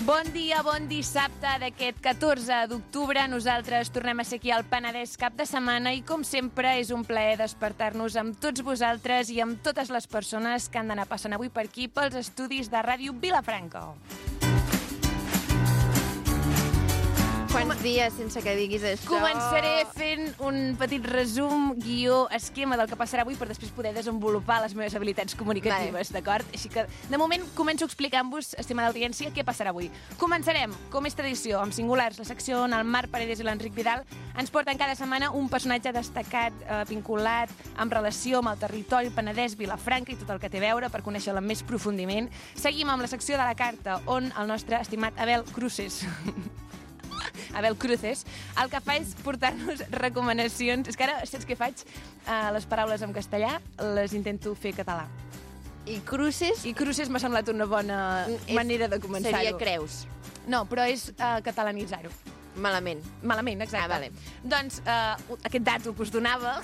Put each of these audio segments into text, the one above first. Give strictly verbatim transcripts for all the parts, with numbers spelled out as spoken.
Bon dia, bon dissabte d'aquest catorze d'octubre. Nosaltres tornem a ser aquí al Penedès cap de setmana i, com sempre, és un plaer despertar-nos amb tots vosaltres i amb totes les persones que han d'anar passant avui per aquí pels estudis de Ràdio Vilafranca. Quants dies sense que diguis això? Començaré fent un petit resum, guió, esquema del que passarà avui per després poder desenvolupar les meves habilitats comunicatives, vale. D'acord? Així que, de moment, començo explicant-vos, estimada audiència, què passarà avui. Començarem, com és tradició, amb singulars, la secció on el Marc Paredes i l'Enric Vidal ens porten cada setmana un personatge destacat, eh, vinculat, amb relació amb el territori, Penedès, Vilafranca i tot el que té a veure per conèixer-la amb més profundiment. Seguim amb la secció de la carta, on el nostre estimat Abel Cruces... Abel Cruces, el que fa és portar-nos recomanacions. És que ara, saps què faig? Uh, les paraules en castellà les intento fer català. I Cruces? I Cruces m'ha semblat una bona és, manera de començar-ho. Seria Creus. No, però és uh, catalanitzar-ho. Malament. Malament, exacte. Ah, vale. Doncs uh, aquest dato que us donava,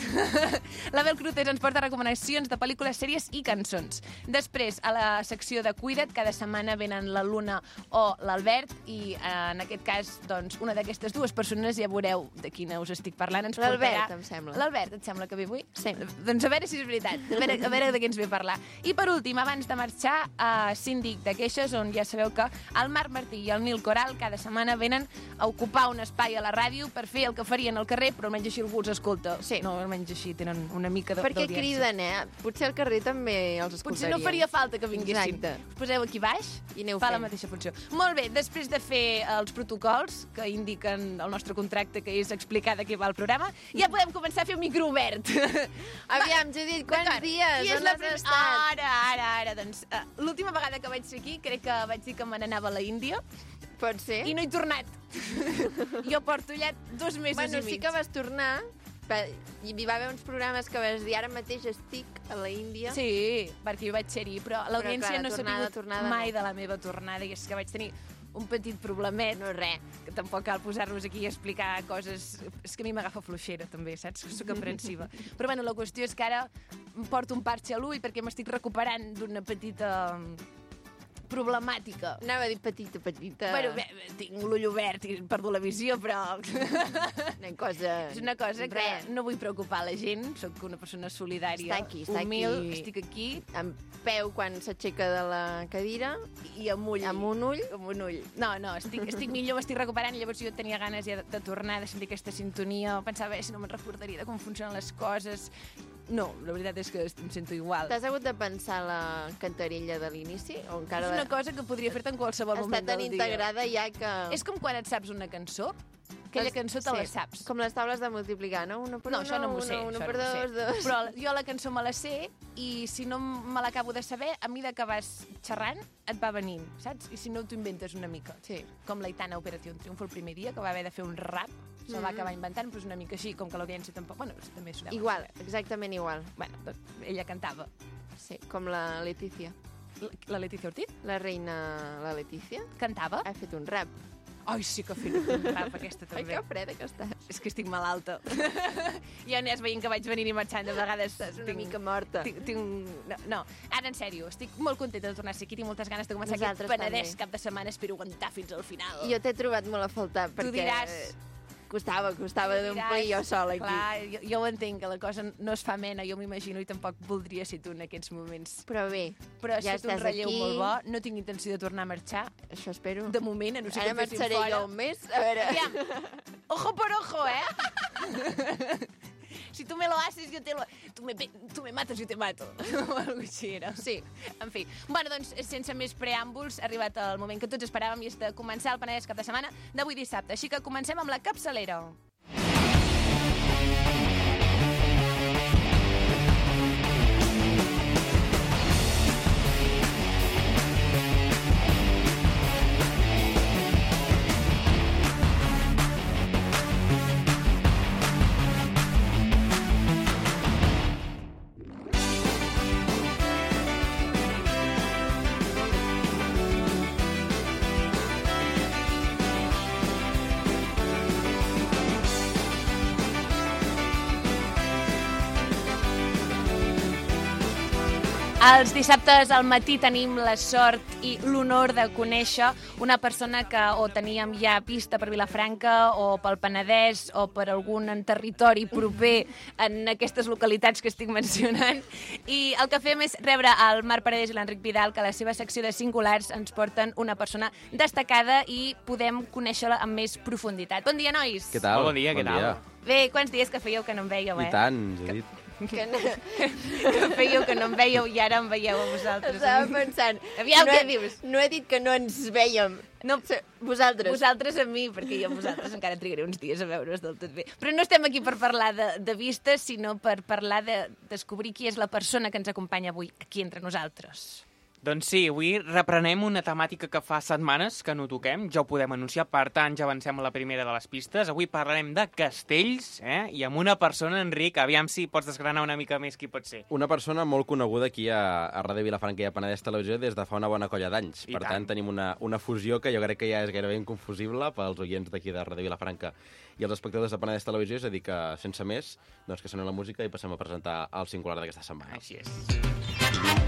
l'Abel Cruces ens porta recomanacions de pel·lícules, sèries i cançons. Després, a la secció de Cuida't, cada setmana venen la Luna o l'Albert i uh, en aquest cas, doncs, una d'aquestes dues persones, ja veureu de quina us estic parlant, ens portarà... L'Albert, em sembla. L'Albert, et sembla que ve avui? Sí. Doncs a veure si és veritat, a veure, a veure de què ens ve a parlar. I per últim, abans de marxar, a Síndic de Queixes, on ja sabeu que el Marc Martí i el Nil Coral cada setmana venen a ocupar un espai a la ràdio per fer el que farien al carrer, però almenys així algú els escolta. Sí. No, almenys així tenen una mica d'audiència. Perquè criden, eh? Potser al carrer també els escoltarien. Potser no faria falta que vinguessin. Exacte. Us poseu aquí baix i aneu fa fent. La mateixa funció. Molt bé, després de fer els protocols que indiquen el nostre contracte, que és explicar de què va el programa, ja podem començar a fer un micro obert. Aviam, Judit, quants dies? Qui és on la has prim... estat? Ara, ara, ara. Doncs, uh, l'última vegada que vaig ser aquí, crec que vaig dir que me n'anava a la Índia. Pot ser? I no he tornat. Jo porto allà dos mesos bueno, i mig. sí que vas tornar, i hi va haver uns programes que vas dir ara mateix estic a la Índia. Sí, perquè jo vaig ser-hi, però l'audiència no s'ha tornada, sabut tornada, mai no. de la meva tornada, i és que vaig tenir un petit problemet. No, res. Que tampoc cal posar-nos aquí a explicar coses... És que a mi m'agafa fluixera, també, saps? Soc aprensiva. Però, bueno, la qüestió és que ara em porto un parxe a l'ull perquè m'estic recuperant d'una petita problemàtica. Anava a dir petita, petita. Bueno, bé, tinc l'ull obert i perdo la visió, però... Una cosa... És una cosa que Res. no vull preocupar la gent. Soc una persona solidària, Està aquí, està humil, aquí. estic aquí. Amb peu quan s'aixeca de la cadira. I amb ull. Amb un ull. Amb un ull. No, no, estic, estic millor, m'estic recuperant, i llavors jo tenia ganes ja de, de tornar, de sentir aquesta sintonia. Pensava, eh, si no me'n recordaria de com funcionen les coses. No, la veritat és que em sento igual. T'has hagut de pensar la cantarella de l'inici? O encara És una cosa que podria fer-te en qualsevol està moment tan del dia. integrada ja que... És com quan et saps una cançó, aquella cançó te sí, la saps. Com les taules de multiplicar, no? Uno per No, uno, això no m'ho sé, uno, uno això per no m'ho dos, sé. dos... Però jo la cançó me la sé, i si no me l'acabo de saber, a mesura que vas xerrant, et va venint, saps? I si no, t'ho inventes una mica. Sí. Com l'Aitana a Operació Triunfo el primer dia, que va haver de fer un rap, se'l va acabar inventant, però és una mica així, com que l'audiència tampoc... Bueno, també s'ho deu Igual, saber. exactament igual. Bueno, doncs ella cantava. Sí, com la Letícia. La, la Letícia Ortiz La reina, la Letícia, cantava. ha fet un rap. Ai, sí que ha fet un rap, aquesta Ai, també. que freda que estàs. És que estic malalta. Ja anés veient que vaig venir i marxant, de vegades... Estàs una mica morta. Tinc, tinc... No, no, ara en sèrio, estic molt contenta de tornar a ser aquí, tinc moltes ganes de començar Nosaltres aquest Penedès també. cap de setmana, espero aguantar fins al final. Jo t'he trobat molt a faltar, Tu perquè diràs... costava, costava Tu d'omplir diràs, jo sola aquí. Clar, jo, jo ho entenc, que la cosa no es fa mena, jo m'imagino, i tampoc voldria ser tu en aquests moments. Però bé, Però ha ja estat un estàs relleu aquí. molt bo, no tinc intenció de tornar a marxar, Això espero. de moment, a no ser Ara que em fessin marxaré fora. jo un mes, a veure... Aviam, ojo por ojo, eh? Si tu me lo haces, yo te lo... Tu me, tu me mates, yo te mato. O alguna així era. Sí, en fi. Bueno, doncs, sense més preàmbuls, ha arribat el moment que tots esperàvem, i és de començar el Penedès cap de setmana d'avui dissabte. Així que comencem amb la capçalera. Els dissabtes al matí tenim la sort i l'honor de conèixer una persona que o teníem ja pista per Vilafranca o pel Penedès o per algun territori proper en aquestes localitats que estic mencionant. I el que fem és rebre el Marc Paredes i l'Enric Vidal, que a la seva secció de Singulars ens porten una persona destacada i podem conèixer-la amb més profunditat. Bon dia, nois! Què tal? Bon dia, què tal? Bé, quants dies que fèieu que no em veieu, eh? I tant, Judit. Que no... que fèieu que no em veieu i ara em veieu a vosaltres. Estava pensant, Aviam, no què he, dius? No he dit que no ens vèiem. No, vosaltres. Vosaltres a mi, perquè jo a vosaltres encara trigaré uns dies a veure's del tot bé. Però no estem aquí per parlar de, de vistes, sinó per parlar de descobrir qui és la persona que ens acompanya avui aquí entre nosaltres. Doncs sí, avui reprenem una temàtica que fa setmanes que no toquem, ja ho podem anunciar, per tant ja avancem a la primera de les pistes. Avui parlarem de castells, eh? I amb una persona, Enric, aviam si pots desgranar una mica més qui pot ser. Una persona molt coneguda aquí a, a Ràdio Vilafranca i a Penedès Televisió des de fa una bona colla d'anys. Per tant, tant, tenim una, una fusió que jo crec que ja és gairebé inconfusible pels oients d'aquí de Ràdio Vilafranca i els espectadors de Penedès Televisió, és a dir que, sense més, doncs que soni la música i passem a presentar el singular d'aquesta setmana. Així és.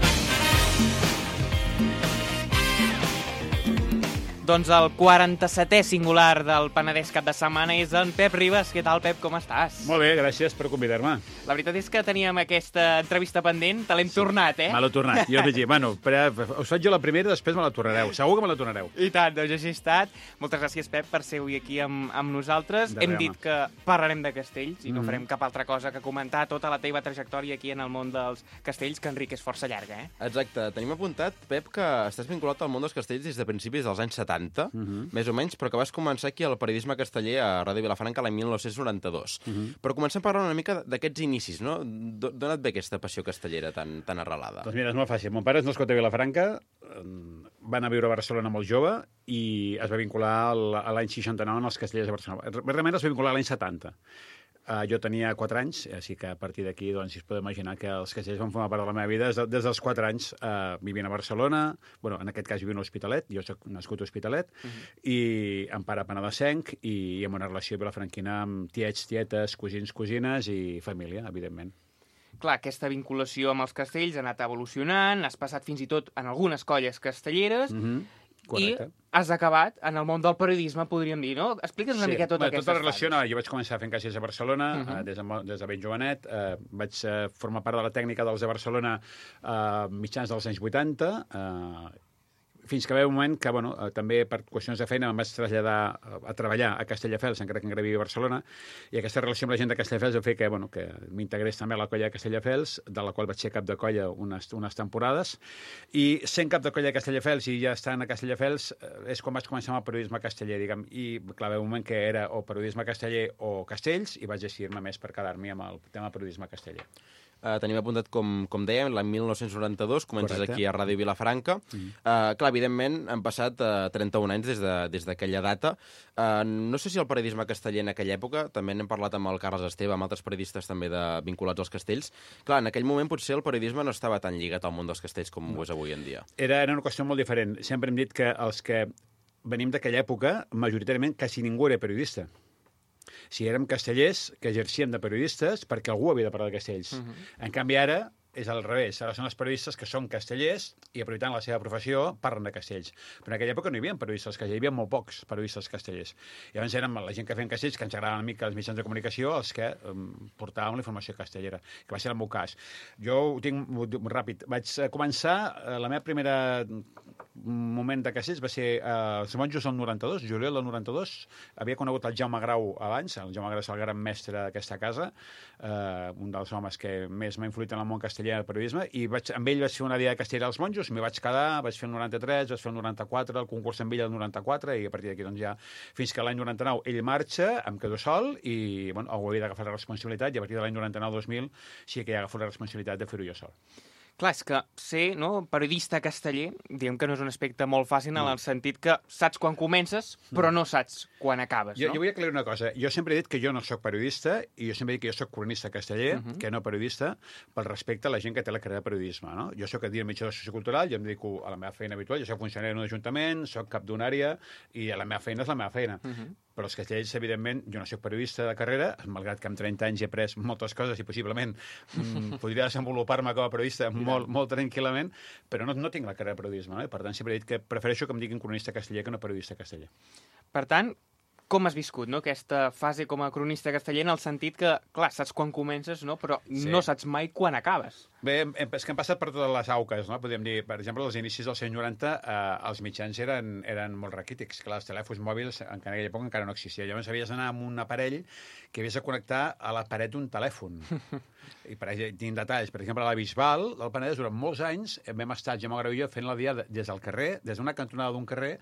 Doncs el quaranta-setè singular del Penedès cap de setmana és en Pep Ribas. Què tal, Pep? Com estàs? Molt bé, gràcies per convidar-me. La veritat és que teníem aquesta entrevista pendent, te l'hem sí. tornat, eh? Me l'he tornat. Jo vaig dir, bueno, però us faig jo la primera i després me la tornareu. Segur que me la tornareu. I tant, doncs així ha estat. Moltes gràcies, Pep, per ser avui aquí amb, amb nosaltres. De Hem res, dit home. que parlarem de castells i Mm-hmm. no farem cap altra cosa que comentar tota la teva trajectòria aquí en el món dels castells, que, Enric, és força llarga, eh? Exacte. Tenim apuntat, Pep, que estàs vinculat al món dels castells des de principis dels anys setanta, Mm-hmm. més o menys, però que vas començar aquí al periodisme casteller a Ràdio Vilafranca l'any mil nou-cents noranta-dos. Mm-hmm. Però comencem a parlar una mica d'aquests inicis, no? D'on et ve aquesta passió castellera tan, tan arrelada? Doncs mira, és molt fàcil. Mon pare és nascut a Vilafranca, va anar a viure a Barcelona molt jove i es va vincular al- a l'any seixanta-nou en els castellers de Barcelona. Realment es va vincular a l'any setanta. Uh, jo tenia quatre anys, així que a partir d'aquí, doncs, si es pot imaginar que els castellers van formar part de la meva vida des, de, des dels quatre anys, uh, vivint a Barcelona, bueno, en aquest cas vivint a l'Hospitalet, jo soc nascut a l'Hospitalet, uh -huh. i em pare penedesenc, i, i amb una relació vilafranquina amb tiets, tietes, cosins, cosines i família, evidentment. Clar, aquesta vinculació amb els castells ha anat evolucionant, has passat fins i tot en algunes colles castelleres, Mm -hmm. Correcte. i has acabat en el món del periodisme, podríem dir, no? Explica'ns una Sí. mica tota Bé, aquesta tota la relació, no, jo vaig començar fent caixers a Barcelona, uh Mhm. -huh. uh, des, de, mo- des de ben jovenet. Uh, vaig uh, formar part de la tècnica dels de Barcelona uh, mitjans dels anys vuitanta, uh, fins que va haver un moment que, bueno, uh, també per qüestions de feina em vaig traslladar a, a treballar a Castelldefels, encara que encara vivia a Barcelona, i aquesta relació amb la gent de Castelldefels va fer que, bueno, que m'integrés també a la colla de Castelldefels, de la qual vaig ser cap de colla unes, unes temporades, i sent cap de colla de Castelldefels i ja estant a Castelldefels eh, és quan vaig començar amb el periodisme casteller, diguem, i clar, va haver un moment que era o periodisme casteller o castells, i vaig decidir-me més per quedar-m'hi amb el tema periodisme casteller. Uh, tenim apuntat, com, com dèiem, l'any mil nou-cents noranta-dos, comences Correcte. aquí a Ràdio Vilafranca. Mm. Uh, clar, evidentment, han passat uh, trenta-un anys des de- des d'aquella de, data. Uh, no sé si el periodisme casteller en aquella època, també n'hem parlat amb el Carles Esteve, amb altres periodistes també de, vinculats als castells. Clar, en aquell moment potser el periodisme no estava tan lligat al món dels castells com ho és avui en dia. Era, era una qüestió molt diferent. Sempre hem dit que els que venim d'aquella època, majoritàriament, quasi ningú era periodista. Si érem castellers, que exercíem de periodistes perquè algú havia de parlar de castells. Uh -huh. En canvi, ara és al revés. Ara són els periodistes que són castellers i, aprofitant la seva professió, parlen de castells. Però en aquella època no hi havia periodistes castellers, hi havia molt pocs periodistes castellers. I llavors érem la gent que feien castells, que ens agradaven una mica els mitjans de comunicació, els que um, portàvem la informació castellera, que va ser el meu cas. Jo ho tinc ho dic ràpid. Vaig eh, començar, eh, la meva primera moment de castells va ser eh, els monjos del noranta-dos, juliol del noranta-dos. Havia conegut el Jaume Grau abans, el Jaume Grau és el gran mestre d'aquesta casa, eh, un dels homes que més m'ha influït en el món castellà i el periodisme, i vaig, amb ell vaig fer una dia de castellera als monjos, m'hi vaig quedar, vaig fer el noranta-tres, vaig fer el noranta-quatre, el concurs amb ell el noranta-quatre, i a partir d'aquí doncs ja, fins que l'any noranta-nou ell marxa, em quedo sol, i bueno, ho havia d'agafar la responsabilitat, i a partir de l'any noranta-nou dos mil sí que ja agafo la responsabilitat de fer-ho jo sol. Clar, és que ser no, periodista casteller, diguem que no és un aspecte molt fàcil en el sentit que saps quan comences, però no saps quan acabes, Jo, no? jo vull aclarir una cosa. Jo sempre he dit que jo no sóc periodista i jo sempre he dit que jo sóc cronista casteller, uh -huh. que no periodista, pel respecte a la gent que té la carrera de periodisme. No? Jo sóc administrador sociocultural, jo em dedico a la meva feina habitual, jo soc funcionari d'un ajuntament, soc cap d'una àrea i la meva feina és la meva feina. Uh -huh. però els castells, evidentment, jo no soc periodista de carrera, malgrat que amb trenta anys he après moltes coses i possiblement mm, podria desenvolupar-me com a periodista molt, molt tranquil·lament, però no, no tinc la carrera de periodisme, no? I per tant sempre he dit que prefereixo que em diguin cronista casteller que no periodista casteller. Per tant, com has viscut, no?, aquesta fase com a cronista casteller, en el sentit que, clar, saps quan comences, no?, però sí. no saps mai quan acabes. Bé, és que hem passat per totes les auques, no? Podríem dir, per exemple, als inicis dels anys noranta eh, els mitjans eren, eren molt raquítics. Clar, els telèfons mòbils en aquella època encara no existia. Llavors havies d'anar amb un aparell que havies de connectar a la paret d'un telèfon. I per tinc detalls. Per exemple, a la Bisbal del Penedès, durant molts anys, vam estar, Jaume Grau i jo, fent la dia des del carrer, des d'una cantonada d'un carrer,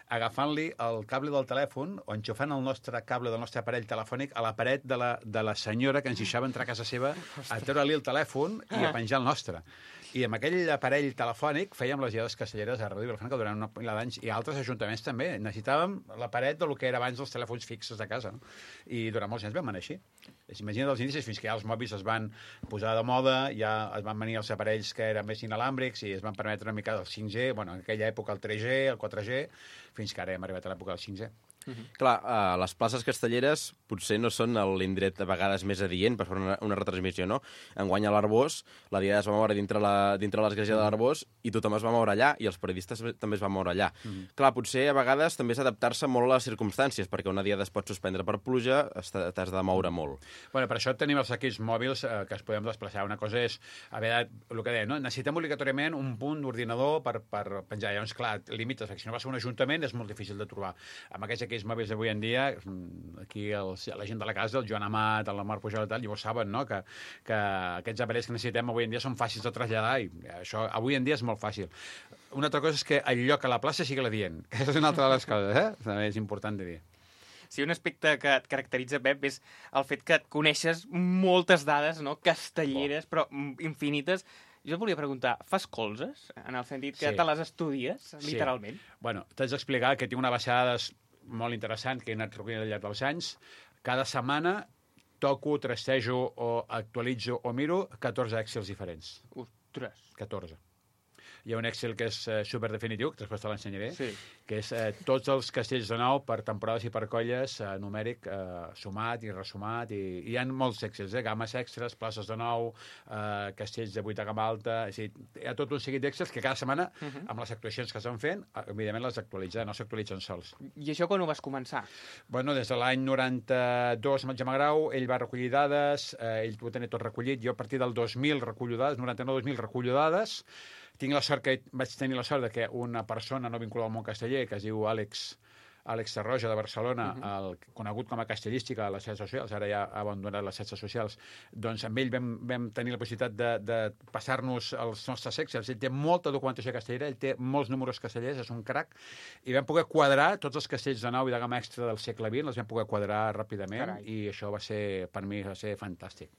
agafant-li el cable del telèfon o enxufant el nostre cable del nostre aparell telefònic a la paret de la, de la senyora que ens deixava entrar a casa seva a treure-li el telèfon i a penjar el nostre. I amb aquell aparell telefònic fèiem les diades castelleres a Ràdio Vilafranca durant una pila d'anys i altres ajuntaments també. Necessitàvem la paret del que era abans els telèfons fixos de casa. No? I durant molts anys vam anar així. Imagina't els inicis, fins que ja els mòbils es van posar de moda, ja es van venir els aparells que eren més inalàmbrics i es van permetre una mica el cinc G, bueno, en aquella època el tres G, el quatre G, fins que ara hem arribat a l'època del cinc G. Uh-huh. Clar, uh, les places castelleres potser no són l'indret a vegades més adient per fer una, una retransmissió, no? Enguany a l'Arbós, la diada es va moure dintre, la, dintre l'església de l'Arbós i tothom es va moure allà i els periodistes també es van moure allà. Uh-huh. Clar, potser a vegades també és adaptar-se molt a les circumstàncies, perquè una diada es pot suspendre per pluja, t'has de moure molt. Bueno, per això tenim els equips mòbils eh, que es podem desplaçar. Una cosa és, a veure, el que deia, no? Necessitem obligatòriament un punt d'ordinador per, per penjar. Llavors, clar, limites, perquè si no vas a un ajuntament és molt difícil de trobar. Amb aquests equips mòbils d'avui en dia, aquí els, la gent de la casa, el Joan Amat, el Marc Pujol i tal, llavors saben, no?, que, que aquests aparells que necessitem avui en dia són fàcils de traslladar i això avui en dia és molt fàcil. Una altra cosa és que el lloc a la plaça sigui l'adient. Aquesta és una altra de les coses, eh? També és important de dir. Sí, un aspecte que et caracteritza, Pep, és el fet que et coneixes moltes dades, no?, castelleres, però infinites. Jo et volia preguntar, fas colzes? En el sentit que sí. te les estudies, literalment? Sí. Bueno, t'haig d'explicar que tinc una baixada de molt interessant que he anat recollint al llarg dels anys. Cada setmana toco, trastejo o actualitzo o miro catorze Excels diferents. Ostres. catorze. Hi ha un Excel que és eh, superdefinitiu, que després te l'ensenyaré, sí. que és eh, tots els castells de nou per temporades i per colles, eh, numèric, eh, sumat i resumat, i, i hi ha molts Excels, eh, games extras, places de nou, eh, castells de vuit a gamma alta, és dir, hi ha tot un seguit d'Excels que cada setmana, uh -huh. amb les actuacions que estan fent, evidentment les actualitzen, no s'actualitzen sols. I això quan ho vas començar? Bueno, des de l'any noranta-dos amb el Jaume Grau, ell va recollir dades, eh, ell ho tenia tot recollit, jo a partir del dos mil recullo dades, noranta-nou dos mil recullo dades. Tinc la sort que vaig tenir la sort de que una persona no vinculada al món casteller, que es diu Àlex, Àlex Tarroja, de Barcelona, uh -huh. el, conegut com a castellística a les xarxes socials, ara ja ha abandonat les xarxes socials, doncs amb ell vam, vam tenir la possibilitat de, de passar-nos els nostres Excels. Ell té molta documentació castellera, ell té molts números castellers, és un crac, i vam poder quadrar tots els castells de nou i de gamma extra del segle vint, els vam poder quadrar ràpidament. Carai. I això va ser, per mi, va ser fantàstic.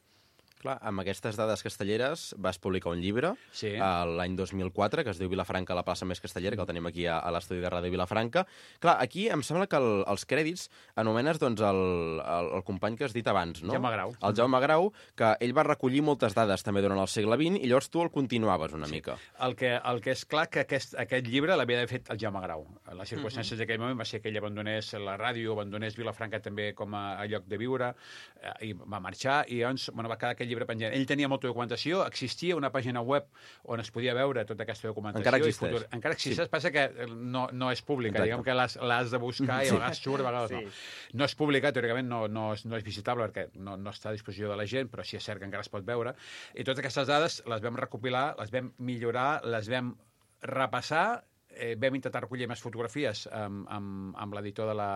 Clar, amb aquestes dades castelleres vas publicar un llibre sí. l'any dos mil quatre, que es diu Vilafranca, la plaça més castellera, que el tenim aquí a, a l'estudi de Ràdio Vilafranca. Clar, aquí em sembla que el, els crèdits anomenes doncs, el, el, el company que has dit abans, no? Jaume Grau. El Jaume Grau, que ell va recollir moltes dades també durant el segle vint i llavors tu el continuaves una sí. mica. El que, el que és clar que aquest, aquest llibre l'havia d'haver fet el Jaume Grau. Les circumstàncies uh-huh. d'aquell moment va ser que ell abandonés la ràdio, abandonés Vilafranca també com a, a lloc de viure, eh, i va marxar, i llavors bueno, va quedar aquest llibre penjant. Ell tenia molta documentació, existia una pàgina web on es podia veure tota aquesta documentació. Encara existeix. Futur... Encara existeix, sí. passa que no, no és pública, diguem que l'has de buscar i a vegades surt, a vegades sí. no. No és pública, teòricament no, no, és, no és visitable perquè no, no està a disposició de la gent, però sí és cert que encara es pot veure. I totes aquestes dades les vam recopilar, les vam millorar, les vam repassar, eh, vam intentar recollir més fotografies amb, amb, amb l'editor de la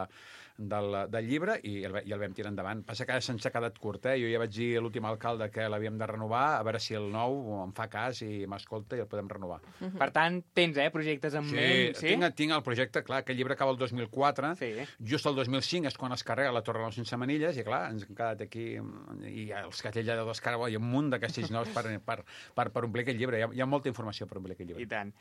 Del, del llibre i el, i el vam tirar endavant. Passa que ara se'ns ha quedat curt, eh? Jo ja vaig dir a l'últim alcalde que l'havíem de renovar, a veure si el nou em fa cas i m'escolta i el podem renovar. Uh-huh. Per tant, tens eh, projectes en sí, ment? Sí, tinc, tinc el projecte, clar, que el llibre acaba el dos mil quatre, sí. Just el dos mil cinc és quan es carrega la Torre de les Sense Manilles i clar, ens hem quedat aquí i els castells de Descarga, hi ha un munt de castells nous per, per, per, per omplir aquest llibre, hi ha, hi ha molta informació per omplir aquest llibre. I tant.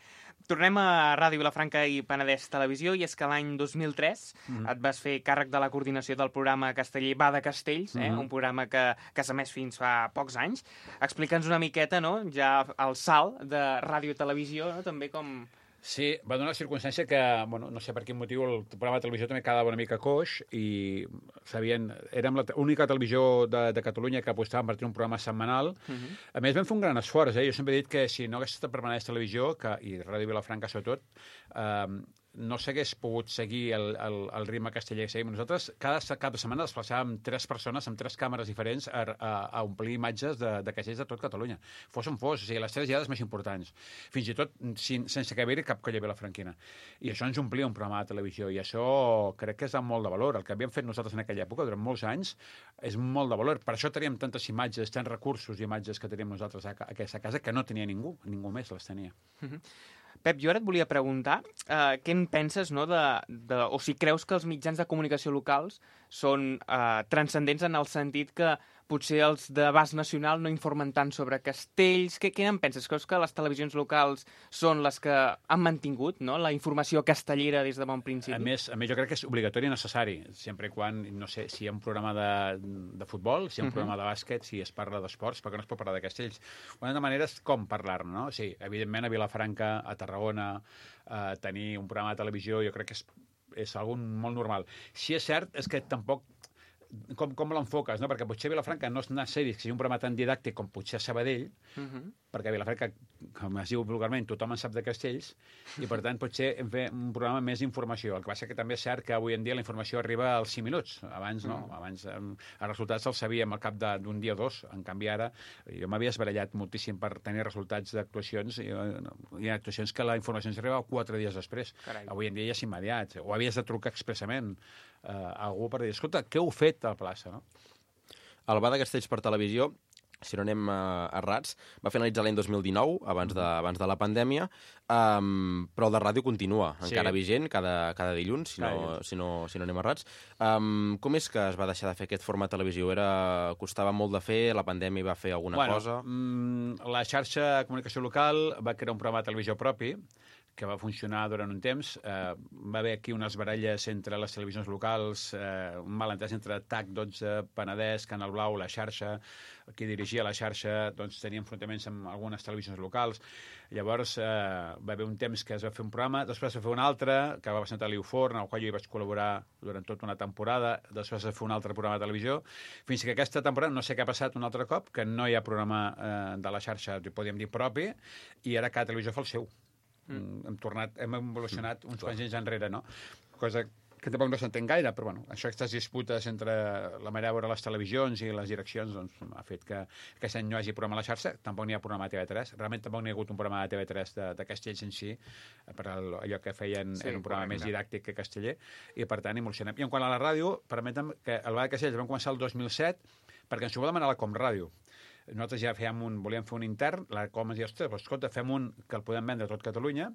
Tornem a Ràdio Vilafranca i Penedès Televisió i és que l'any dos mil tres uh-huh. et vas fer càrrec de la coordinació del programa casteller Va de Castells, eh? uh-huh. un programa que, que s'ha emès fins fa pocs anys. Explica'ns una miqueta, no?, ja el salt de ràdio-televisió, no?, també com... Sí, va donar la circumstància que, bueno, no sé per quin motiu, el programa de televisió també quedava una mica coix i sabien, érem l'única televisió de, de Catalunya que apostàvem per tenir un programa setmanal. Uh -huh. A més, vam fer un gran esforç. Eh? Jo sempre he dit que si no hagués estat per Penedès Televisió, que, i Ràdio Vilafranca sobretot, eh, no s'hagués pogut seguir el, el, el ritme casteller que seguim nosaltres. Cada cap de setmana desplaçàvem tres persones amb tres càmeres diferents a, a, a omplir imatges de, de castells de tot Catalunya. Fos on fos, o sigui, les tres llegades més importants. Fins i tot sin, sense que haver-hi cap colla vilafranquina. I això ens omplia un programa de televisió, i això crec que és de molt de valor. El que havíem fet nosaltres en aquella època, durant molts anys, és molt de valor. Per això teníem tantes imatges, tants recursos i imatges que teníem nosaltres a, a aquesta casa, que no tenia ningú, ningú més les tenia. Mm-hmm. Pep, jo ara et volia preguntar uh, què en penses, no, de, de, o si creus que els mitjans de comunicació locals són uh, transcendents en el sentit que potser els d'abast nacional no informen tant sobre castells. Què, què en penses? Creus que les televisions locals són les que han mantingut, no, la informació castellera des de bon principi? A més, a més jo crec que és obligatori i necessari, sempre i quan, no sé, si hi ha un programa de, de futbol, si hi ha un uh-huh. programa de bàsquet, si es parla d'esports, perquè no es pot parlar de castells. Una de maneres com parlar-ne, no? Sí, evidentment a Vilafranca, a Tarragona, eh, tenir un programa de televisió, jo crec que és, és algo molt normal. Si és cert, és que tampoc com, com l'enfoques, no? Perquè potser a Vilafranca no és necessari que sigui un programa tan didàctic com potser a Sabadell, uh-huh. perquè a Vilafranca, com es diu vulgarment, tothom en sap de castells, i per tant potser hem fet un programa més d'informació. El que passa que també és cert que avui en dia la informació arriba als cinc minuts. Abans no, uh-huh. abans eh, els resultats els sabíem al cap d'un dia o dos. En canvi ara, jo m'havia esbarallat moltíssim per tenir resultats d'actuacions, i eh, hi ha actuacions que la informació ens arriba quatre dies després. Carai. Avui en dia ja és immediat, o havies de trucar expressament Uh, algú per dir, escolta, què heu fet a la plaça, no? El Bada Castells per televisió, si no anem uh, errats, va finalitzar l'any dos mil dinou, abans de, abans de la pandèmia, um, però el de ràdio continua, sí. encara vigent, cada, cada dilluns, si no, si, no, si no anem errats. Um, com és que es va deixar de fer aquest format televisió? Era, costava molt de fer, la pandèmia va fer alguna bueno, cosa? Mm, la xarxa de comunicació local va crear un programa de televisió propi, que va funcionar durant un temps. Eh, va haver aquí unes baralles entre les televisions locals, eh, un malentès entre T A C dotze, Penedès, Canal Blau, la xarxa, qui dirigia la xarxa, doncs tenia enfrontaments amb algunes televisions locals. Llavors eh, va haver un temps que es va fer un programa, després va fer un altre, que va presentar l'Iu Forn, en el qual jo hi vaig col·laborar durant tota una temporada, després va fer un altre programa de televisió, fins que aquesta temporada, no sé què ha passat un altre cop, que no hi ha programa eh, de la xarxa, podríem dir, propi, i ara cada televisió fa el seu. Mm. Hem tornat, hem evolucionat uns quants anys enrere, no? Cosa que tampoc no s'entén gaire, però bueno, això, aquestes disputes entre la manera de veure les televisions i les direccions, doncs, ha fet que aquest any no hi hagi programa a la xarxa, tampoc n'hi ha programa a T V tres, realment tampoc n'hi ha hagut un programa de T V tres de, de castells en si, per allò que feien, sí, era un programa correcte. Més didàctic que casteller, i per tant evolucionem. I en quant a la ràdio, permetem que el Bada Castells vam començar el dos mil set, perquè ens ho va demanar la Comràdio. Nosaltres ja fèiem un, volíem fer un intern, la Com ens diu, ostres, doncs, escolta, fem un que el podem vendre a tot Catalunya,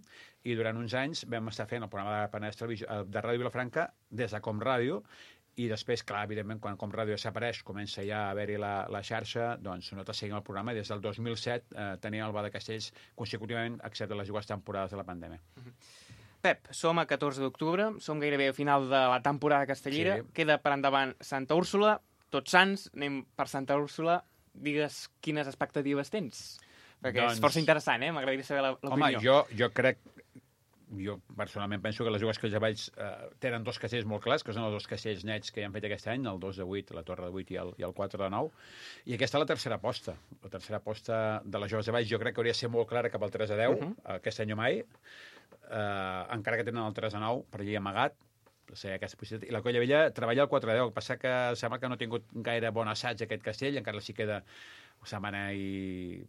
i durant uns anys vam estar fent el programa de Penedès Televisió, de Ràdio Vilafranca des de Com Ràdio, i després, clar, evidentment, quan Com Ràdio desapareix, comença ja a haver-hi la, la xarxa, doncs nosaltres seguim el programa, i des del dos mil set eh, teníem el Bada Castells consecutivament, excepte les dues temporades de la pandèmia. Pep, som a catorze d'octubre, som gairebé al final de la temporada castellera, sí. Queda per endavant Santa Úrsula, Tots Sants, anem per Santa Úrsula. Digues quines expectatives tens. Perquè doncs, és força interessant, eh? M'agradaria saber l'opinió. Home, jo, jo crec... Jo personalment penso que les dues castells eh, tenen dos castells molt clars, que són els dos castells nets que ja han fet aquest any, el dos de vuit, la Torre de vuit i el, i el quatre de nou. I aquesta és la tercera aposta. La tercera aposta de les joves de baix jo crec que hauria de ser molt clara cap al tres a deu, uh -huh. aquest any o mai. Eh, encara que tenen el tres a nou per allà amagat, sí, aquesta possibilitat. I la Colla Vella treballa el quatre a deu. El que passa que sembla que no ha tingut gaire bon assaig aquest castell, encara sí queda una setmana i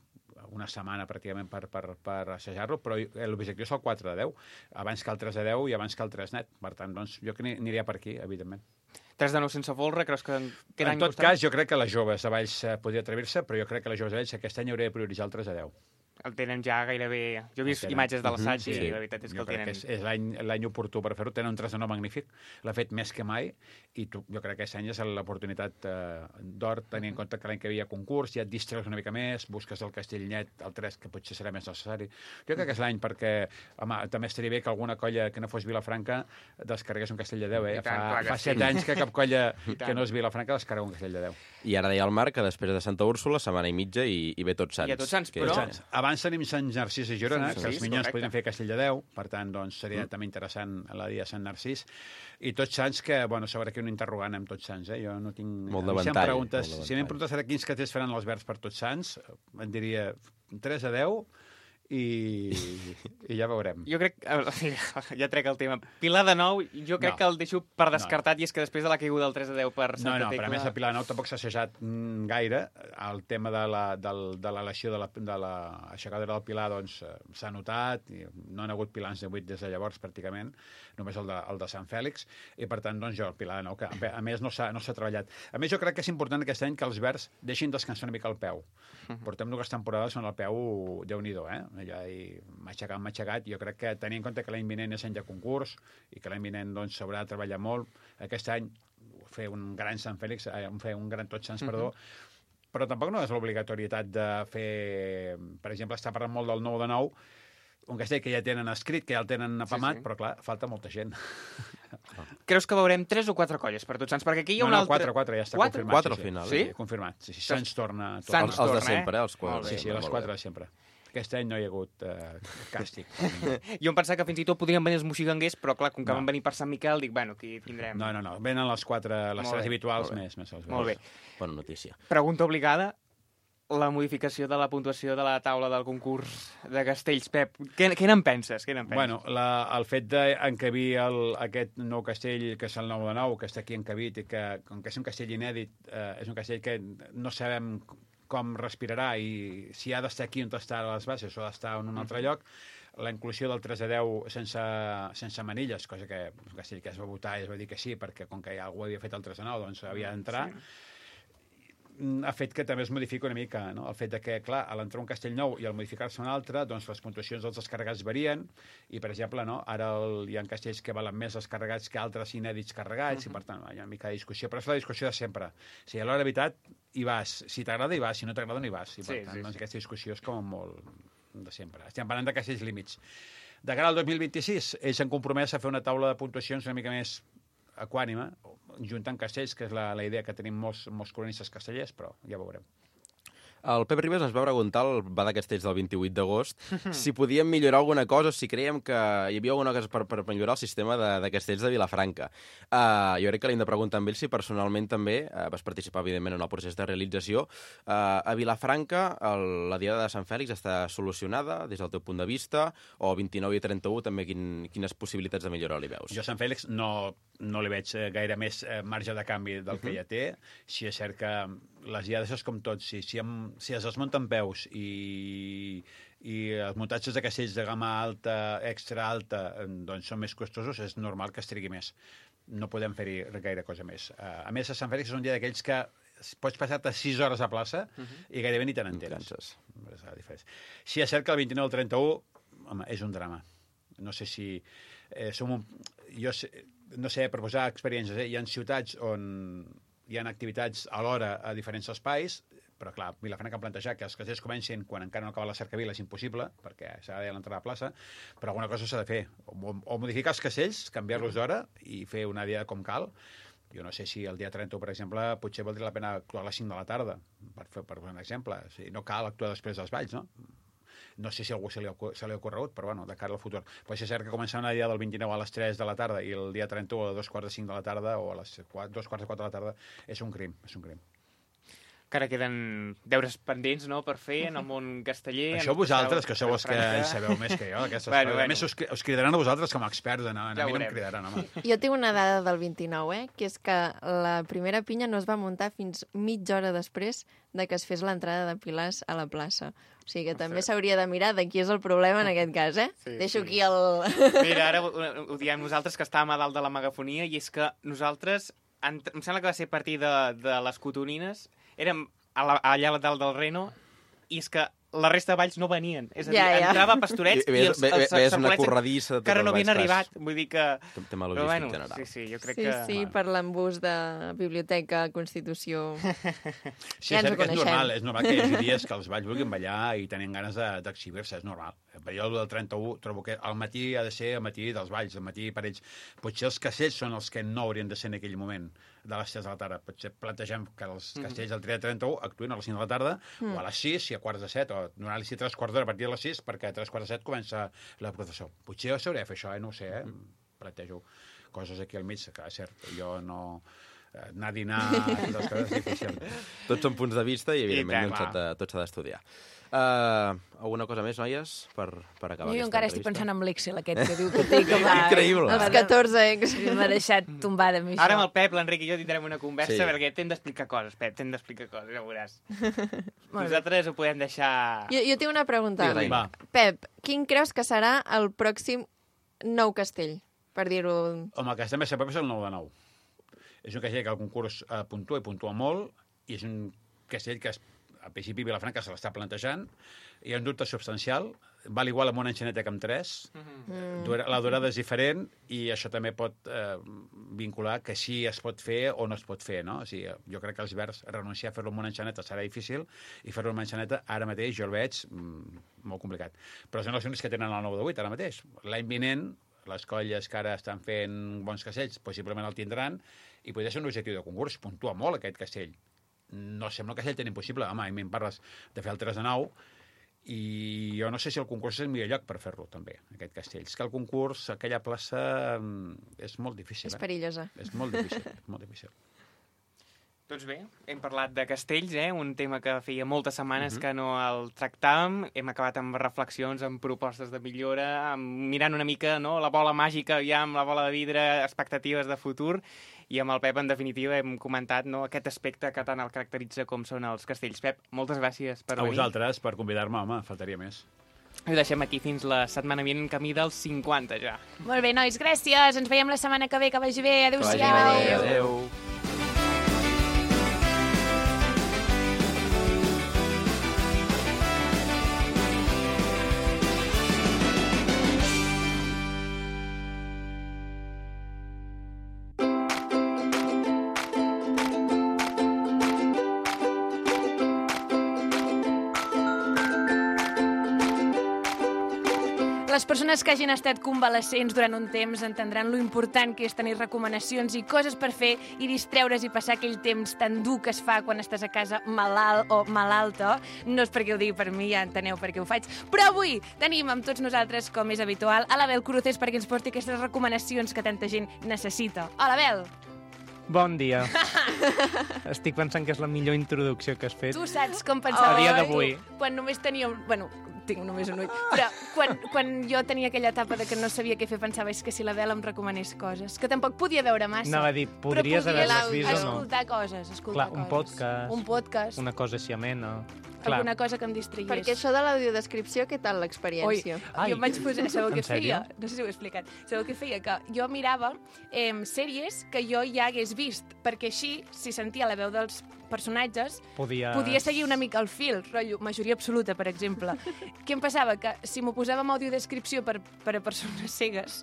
una setmana pràcticament per, per, per assajar-lo, però l'objectiu és el quatre a deu, abans que el tres a deu i abans que el tres net. Per tant, doncs, jo que aniria per aquí, evidentment. tres de nou sense folre, creus que... En tot cas, jo crec que les joves de Valls podria atrevir-se, però jo crec que les joves de Valls aquest any hauria de prioritzar el tres a deu. El tenen ja gairebé... Jo he vist imatges de l'assaig uh -huh, sí, i la veritat és que jo el tenen... És, és l'any oportú per fer-ho. Tenen un tres a nou magnífic, l'ha fet més que mai, i tu, jo crec que aquest any és l'oportunitat eh, d'or, tenint en compte que l'any que hi havia concurs, ja et distreus una mica més, busques el castell net, el tres, que potser serà més necessari. Jo crec que és l'any perquè, home, també estaria bé que alguna colla que no fos Vilafranca descarregués un castell de deu, eh? Tant, fa fa set sí. anys que cap colla que no és Vilafranca descarrega un castell de deu. I ara deia el Marc que després de Santa Úrsula, setmana i mitja i, i ve Tots Sants. I a Tots Sants, que... però... Tots Sants. abans tenim Sant Narcís i Girona, Sí, que els sí, minyons correcte. podrien fer Castelldefeu, per tant, doncs, seria mm. també interessant la dia de Sant Narcís. I Tots Sants, que, bueno, sobre aquí un interrogant amb Tots Sants, eh? Jo no tinc... Molt de si em ventall, preguntes, molt de si m'hem ventall. preguntat ara quins cartells faran els Verds per Tots Sants, em diria tres a deu i, i ja veurem. Jo crec... Ja trec el tema. Pilar de Nou, jo crec No. que el deixo per descartat, no. I és que després de la caiguda del tres a deu per No, Santa no, Tecla... però a més el Pilar de Nou tampoc s'ha assajat mm, gaire. El tema de la, del, de l'elecció de la, de la aixecadora del Pilar doncs eh, s'ha notat, i no han hagut pilans de vuit des de llavors pràcticament, només el de, el de Sant Fèlix, i per tant doncs jo el Pilar de Nou, que a més no s'ha no s'ha treballat. A més jo crec que és important aquest any que els Verds deixin descansar una mica el peu. Portem dues temporades on el peu, Déu-n'hi-do, eh? Allà i matxacat, matxacat. Jo crec que tenint en compte que l'any vinent és any de concurs i que l'any vinent doncs s'haurà de treballar molt, aquest any fer un gran Sant Fèlix, eh, fer un gran Tots Sants, perdó, mm-hmm. però tampoc no és l'obligatorietat de fer, per exemple, està parlant molt del nou de nou, un castell que ja tenen escrit, que ja el tenen apamat, sí, sí. Però clar, falta molta gent. Creus que veurem tres o quatre colles per Tots Sants? Perquè aquí hi ha no, un no, altre... quatre, quatre, ja està quatre? confirmat. Quatre sí, al final, sí, sí? confirmat. Sí, sí, Sants torna... Sants Els, els de torna, sempre, eh? els quatre. Sí, sí, les quatre de sempre. Aquest any no hi ha hagut uh, càstig. Jo em pensava que fins i tot podrien venir els moxiganguers, però clar, com que No. van venir per Sant Miquel, dic, bueno, aquí tindrem... No, no, no. Venen les quatre, les Molt tres bé, habituals molt bé. més. més els Molt bé. Bona notícia. Pregunta obligada. La modificació de la puntuació de la taula del concurs de castells. Pep, què, què n'en penses? Què n'en penses? Bueno, la, el fet d'encabir el, aquest nou castell, que és el nou de nou, que està aquí encabit, i que, com que és un castell inèdit, eh, és un castell que no sabem com respirarà i si ha d'estar aquí on està a les bases o ha d'estar en un altre lloc, la inclusió del tres a deu sense, sense manilles, cosa que un castell que es va votar i es va dir que sí, perquè com que ja algú havia fet el tres a nou, doncs havia d'entrar. Sí. Ha fet que també es modifica una mica, no? El fet de que, clar, a l'entrar un castell nou i al modificar-se un altre, doncs les puntuacions dels descarregats varien i, per exemple, no? Ara el, hi ha castells que valen més descarregats que altres inèdits carregats uh -huh. i, per tant, hi ha una mica de discussió, però és la discussió de sempre. O sigui, a l'hora de veritat, hi vas. Si t'agrada, hi vas. Si no t'agrada, no hi vas. I, per Sí, tant, sí, doncs, sí. aquesta discussió és com molt de sempre. Estem parlant de castells límits. De cara al dos mil vint-i-sis, ells s'han compromès a fer una taula de puntuacions una mica més equànime, juntant castells, que és la, la idea que tenim molts, molts cronistes castellers, però ja veurem. El Pep Ribas ens va preguntar, al va de castells del vint-i-vuit d'agost, si podíem millorar alguna cosa o si creiem que hi havia alguna cosa per, per millorar el sistema de, de castells de Vilafranca. Uh, jo crec que l'hem de preguntar amb ell si personalment també uh, vas participar, evidentment, en el procés de realització. Uh, a Vilafranca, el, la diada de Sant Fèlix està solucionada des del teu punt de vista, o vint-i-nou i trenta-u també quin, quines possibilitats de millora li veus? Jo a Sant Fèlix no, no li veig eh, gaire més eh, marge de canvi del que uh -huh. ja té. Si és cert que les diades és com tot. Si, si, em, si es desmunten peus i, i els muntatges de castells de gamma alta, extra alta, eh, doncs són més costosos, és normal que es trigui més. No podem fer-hi gaire cosa més. Uh, a més, a Sant Fèlix és un dia d'aquells que pots passar-te sis hores a plaça uh -huh. i gairebé ni te n'enteres. És la diferència. Si és cert que el vint-i-nou al trenta-u, home, és un drama. No sé si... Eh, som un, jo sé, no sé, per posar experiències, eh? Hi ha ciutats on hi ha activitats alhora a diferents espais, però clar, Vilafranca ha plantejat que els castells comencin quan encara no acaba la cercavila, és impossible, perquè s'ha de l'entrada a la plaça, però alguna cosa s'ha de fer. O, o modificar els castells, canviar-los d'hora i fer una diada com cal. Jo no sé si el dia trenta, per exemple, potser valdria la pena actuar a les cinc de la tarda, per fer per un exemple. O sigui, no cal actuar després dels balls, no? No sé si a algú se li ha, se li ha ocorregut, però bueno, de cara al futur. Pot ser cert que començar una dia del vint-i-nou a les tres de la tarda i el dia trenta-u a dos quarts de cinc de la tarda o a les quatre, dos quarts de quatre de la tarda és un crim, és un crim. Encara queden deures pendents, no?, per fer en el món casteller. Això vosaltres, que sou els que en sabeu més que jo, d'aquestes Bueno, coses. bueno. A més, us, us cridaran a vosaltres com a experts, no, a Ja mi no em veurem. cridaran, home. Jo tinc una dada del vint-i-nou, eh? Que és que la primera pinya no es va muntar fins mitja hora després de que es fes l'entrada de pilars a la plaça. O sigui que també s'hauria de mirar de qui és el problema en aquest cas, eh? Sí, Deixo sí. aquí el... Mira, ara ho, ho diem nosaltres, que estàvem a dalt de la megafonia, i és que nosaltres, en, em sembla que va ser a partir de, de les cotonines, érem a la, allà a dalt del Reno, i és que la resta de valls no venien. És a dir, Ja, ja. entrava a Pastorets i, Ves, els, ve- els, ve- ves una Sarpolets corredissa de que ara tots no els havien valls, arribat. fas. Vull dir que... Tema Però logístic bueno, general. sí, sí, jo crec Sí, que... sí, per l'embús de biblioteca, Constitució... Sí, Ja és ens cert ho que és coneixem. normal, és normal que hi hagi dies que els balls vulguin ballar i tenen ganes de- d'exhibir-se, és normal. Per jo, el del trenta-u, trobo que al matí ha de ser el matí dels balls, al matí per ells. Potser els castells són els que no haurien de ser en aquell moment de les tres de la tarda. Potser plantegem que els castells del dia trenta-u actuïn a les cinc de la tarda, mm. o a les sis, si a quarts de set, o o donar-li tres quarts d'hora a partir de les sis, perquè a tres quarts de set comença la professor. Potser jo sabré fer això, eh? No ho sé, eh? Plantejo coses aquí al mig, que és cert, jo no... anar a dinar, les coses és difícil. Tots són punts de vista i, evidentment, I doncs, tot, de, tot s'ha d'estudiar. Uh, alguna cosa més, noies, per, per acabar Jo aquesta encara estic entrevista? pensant en l'Excel aquest que diu que té que va... Increïble. Els catorze ex. M'ha deixat tombada amb això. Ara amb el Pep, l'Enric i jo tindrem una conversa Sí. perquè t'hem d'explicar coses, Pep, t'hem d'explicar coses, ja ho veuràs. Molt bé. Nosaltres ho podem deixar... Jo, jo tinc una pregunta. Digues, Va. Pep, quin creus que serà el pròxim nou castell? Per dir-ho... Home, el que està més a prop és el nou de nou. És un castell que el concurs eh, puntua i puntua molt, i és un castell que, es, al principi, Vilafranca se l'està plantejant, hi ha un dubte substancial, val igual amb una enxaneta que amb tres, Mm. Dura- la durada és diferent, i això també pot eh, vincular que sí es pot fer o no es pot fer, no? O sigui, jo crec que els verds renunciar a fer-lo amb una enxaneta serà difícil, i fer-lo amb una enxaneta ara mateix jo el veig mm, molt complicat. Però són els únics que tenen el nou de vuit ara mateix. L'any vinent, les colles que ara estan fent bons castells possiblement el tindran, i podria ser un objectiu de concurs. Puntua molt aquest castell. No sembla un castell tan impossible. Home, a mi em parles de fer el tres de nou, i jo no sé si el concurs és el millor lloc per fer-lo, també, aquest castell. És que el concurs, aquella plaça, mm, és molt difícil. És Eh? perillosa. És molt difícil, és molt difícil. Doncs bé, hem parlat de castells, eh? Un tema que feia moltes setmanes uh -huh. que no el tractàvem. Hem acabat amb reflexions, amb propostes de millora, amb mirant una mica, no?, la bola màgica, ja amb la bola de vidre, expectatives de futur, i amb el Pep, en definitiva, hem comentat, no?, aquest aspecte que tant el caracteritza com són els castells. Pep, moltes gràcies per A venir. vosaltres, per convidar-me, home, faltaria més. Ho deixem aquí fins la setmana vinent, en camí dels cinquanta, ja. Molt bé, nois, gràcies. Ens veiem la setmana que ve. Que vagi bé. Que vagi Adéu-siau. bé. Adéu. Les persones que hagin estat convalescents durant un temps entendran lo important que és tenir recomanacions i coses per fer i distreure's i passar aquell temps tan dur que es fa quan estàs a casa malalt o malalta. No és perquè ho digui per mi, ja enteneu per què ho faig. Però avui tenim amb tots nosaltres, com és habitual, a l'Abel Cruces perquè ens porti aquestes recomanacions que tanta gent necessita. Hola, Abel! Bon dia. Estic pensant que és la millor introducció que has fet. Tu saps com pensava A dia jo, d'avui. tu, quan només tenia... un- Bueno, tinc només un ull. Però quan, quan jo tenia aquella etapa de que no sabia què fer, pensava és que si la Bel em recomanés coses, que tampoc podia veure massa. Anava a dir, podries però podia haver-les vist o no? escoltar coses, escoltar Clar, un coses. podcast. Un podcast. Una cosa així amena. Clar. Alguna cosa que em distragués. Perquè això de l'audiodescripció, què tal l'experiència? Ai, jo em vaig posar... Sabeu en què feia? sèrio? No sé si ho he explicat. Sabeu què feia? Que jo mirava eh, sèries que jo ja hagués vist, perquè així, si sentia la veu dels personatges, Podies... podia seguir una mica el fil, rotllo, majoria absoluta, per exemple. Què em passava? Que si m'ho posava amb audiodescripció per, per a persones cegues,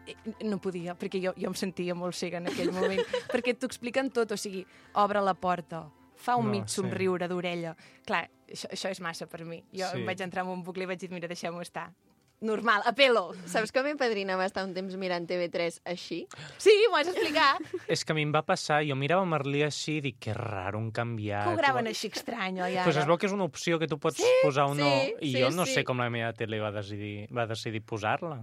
eh, no podia, perquè jo, jo em sentia molt cega en aquell moment, perquè t'ho expliquen tot, o sigui, obre la porta, fa un No, mig sí. somriure d'orella. Clar, això, això és massa per mi. Jo Sí. em vaig entrar en un bucle i vaig dir, mira, deixem-ho estar. Normal, a pelo. Saps que mi padrina va estar un temps mirant T V tres així? Sí, m'ho has d'explicar. És que a mi em va passar, jo mirava Merlí així i dic, que raro, han canviat. Que ho graven així estrany, oi, ara? Pues es veu que és una opció que tu pots Sí, posar o no, sí, i sí, jo no sí. sé com la meva tele va decidir, va decidir posar-la.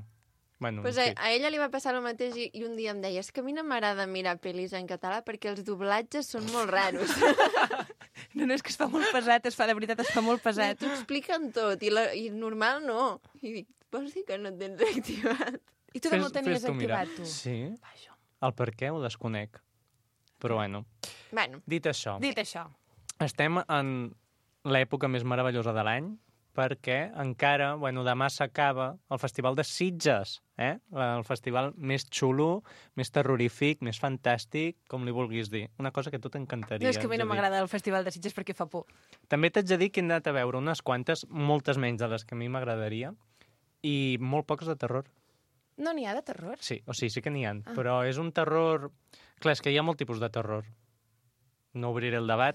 Bueno, Pues en a, fi. a ella li va passar el mateix i, i un dia em deia és que a mi no m'agrada mirar pel·lis en català perquè els doblatges són molt raros. No, no, és que es fa molt pesat, es fa, de veritat, es fa molt pesat. T'ho expliquen tot i, la, i normal no. I dic, vols dir que no et tens reactivat? I tu també Fes- el tenies fes tu mirar. activat, tu. Sí, Vaja. el per què ho desconec. Però bueno, Bueno, dit això, Dit això, estem en l'època més meravellosa de l'any perquè encara, bueno, demà s'acaba el Festival de Sitges, eh? El festival més xulo, més terrorífic, més fantàstic, com li vulguis dir. Una cosa que a tu t'encantaria. no és que a mi haig no de dir. m'agrada el Festival de Sitges perquè fa por. També t'haig de dir que he anat a veure unes quantes, moltes menys de les que a mi m'agradaria, i molt pocs de terror. No n'hi ha de terror. Sí, o sigui, sí que n'hi ha, ah. però és un terror... Clar, és que hi ha molt tipus de terror. No obriré el debat,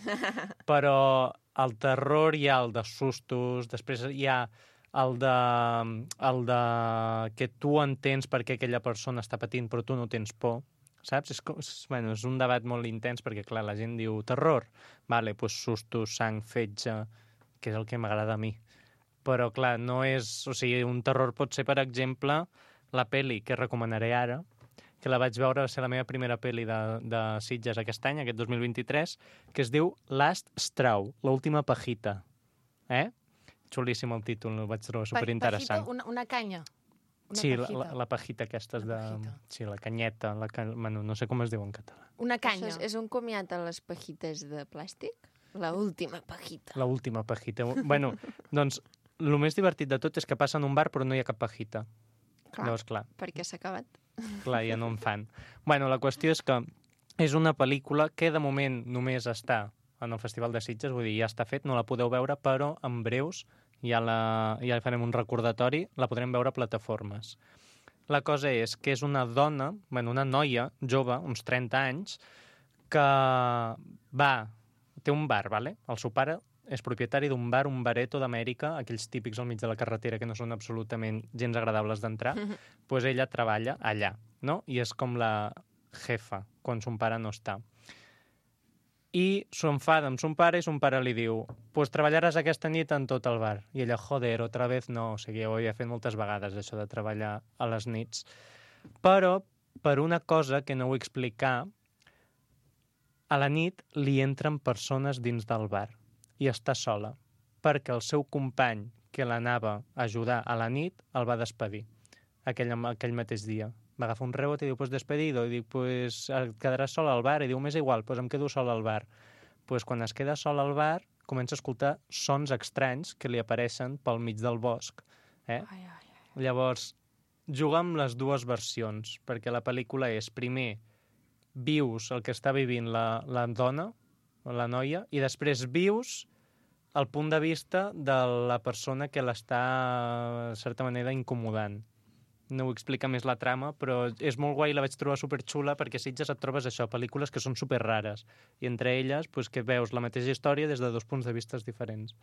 però el terror hi ha el de sustos, després hi ha el de, el de que tu entens per què aquella persona està patint però tu no tens por, saps? És, com, és, bueno, és un debat molt intens perquè, clar, la gent diu terror, vale, doncs sustos, sang, fetge, que és el que m'agrada a mi. Però, clar, no és... O sigui, un terror pot ser, per exemple, la peli que recomanaré ara, que la vaig veure, va ser la meva primera peli de, de Sitges aquest any, aquest dos mil vint-i-tres, que es diu Last Straw, l'última pajita. Eh? Xulíssim el títol, el vaig trobar superinteressant. Pajita, una, una canya. Una sí, pajita. la, la pajita aquesta de... Pajita. Sí, la canyeta, la can... bueno, no sé com es diu en català. Una canya. Això és, és un comiat a les pajites de plàstic? La última pajita. La última pajita. Bueno, doncs, el més divertit de tot és que passa en un bar però no hi ha cap pajita. Clar, Llavors, clar, perquè s'ha acabat. clar, ja no en fan. Bueno, la qüestió és que és una pel·lícula que de moment només està en el Festival de Sitges, vull dir, ja està fet, no la podeu veure, però en breus ja, la, ja farem un recordatori, la podrem veure a plataformes. La cosa és que és una dona, bueno, una noia jove, uns trenta anys, que va, té un bar, vale? El seu pare és propietari d'un bar, un bareto d'Amèrica, aquells típics al mig de la carretera que no són absolutament gens agradables d'entrar, doncs pues ella treballa allà, no? I és com la jefa, quan son pare no està. I s'enfada amb son pare i son pare li diu pues treballaràs aquesta nit en tot el bar. I ella, joder, otra vez no. O sigui, ho havia fet moltes vegades, això de treballar a les nits. Però, per una cosa que no vull explicar, a la nit li entren persones dins del bar i està sola, perquè el seu company que l'anava a ajudar a la nit el va despedir aquell, aquell mateix dia. Va agafar un rebot i diu, pues despedido. I dic, pues et quedaràs sol al bar. I diu, m'és igual, pues em quedo sol al bar. Pues quan es queda sol al bar, comença a escoltar sons estranys que li apareixen pel mig del bosc. Eh? Ai, ai, ai. Llavors, juga amb les dues versions, perquè la pel·lícula és, primer, vius el que està vivint la, la dona, la noia, i després vius el punt de vista de la persona que l'està, de certa manera, incomodant. No ho explica més la trama, però és molt guai, la vaig trobar superxula, perquè a Sitges et trobes això, pel·lícules que són superrares, i entre elles pues, que veus la mateixa història des de dos punts de vista diferents.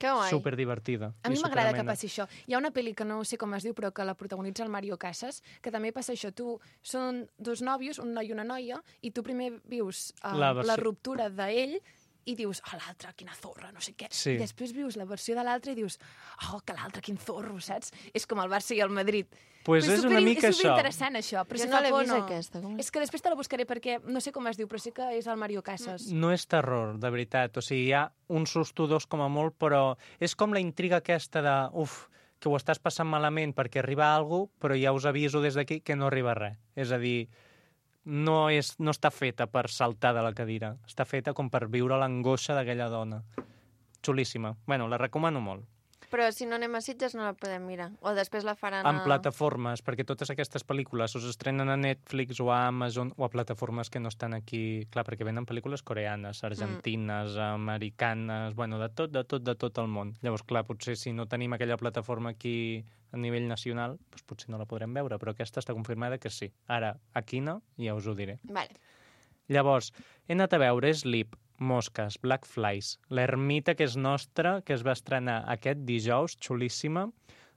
Que guai. Superdivertida. A mi i m'agrada que superamena. passi això. Hi ha una pel·li que no sé com es diu, però que la protagonitza el Mario Casas, que també passa això. Tu, són dos nòvios, un noi i una noia, i tu primer vius uh, La la, versió- la ruptura d'ell, i dius, oh, l'altre, quina zorra, no sé què. Sí. I després vius la versió de l'altre i dius, oh, que l'altre, quin zorro, saps? És com el Barça i el Madrid. Pues Però és super- una mica és això. superinteressant, això. Però Jo si no fa l'he por, vist, no. aquesta, com és? És que després te la buscaré perquè no sé com es diu, però sí que és el Mario Casas. No és terror, de veritat. O sigui, hi ha un susto dos com a molt, però és com la intriga aquesta de, uf, que ho estàs passant malament perquè arriba alguna cosa, però ja us aviso des d'aquí que no arriba res. És a dir, no, és, no està feta per saltar de la cadira, està feta com per viure l'angoixa d'aquella dona. Xulíssima. Bueno, la recomano molt. Però si no anem a Sitges no la podem mirar. O després la faran En a... plataformes, perquè totes aquestes pel·lícules us estrenen a Netflix o a Amazon o a plataformes que no estan aquí, clar, perquè venen pel·lícules coreanes, argentines, mm. americanes, bueno, de tot, de tot, de tot el món. Llavors, clar, potser si no tenim aquella plataforma aquí a nivell nacional, doncs potser no la podrem veure, però aquesta està confirmada que sí. Ara, a quina, ja us ho diré. Vale. Llavors, he anat a veure Sleep, Mosques, Black Flies, L'ermita, que és nostra, que es va estrenar aquest dijous, xulíssima,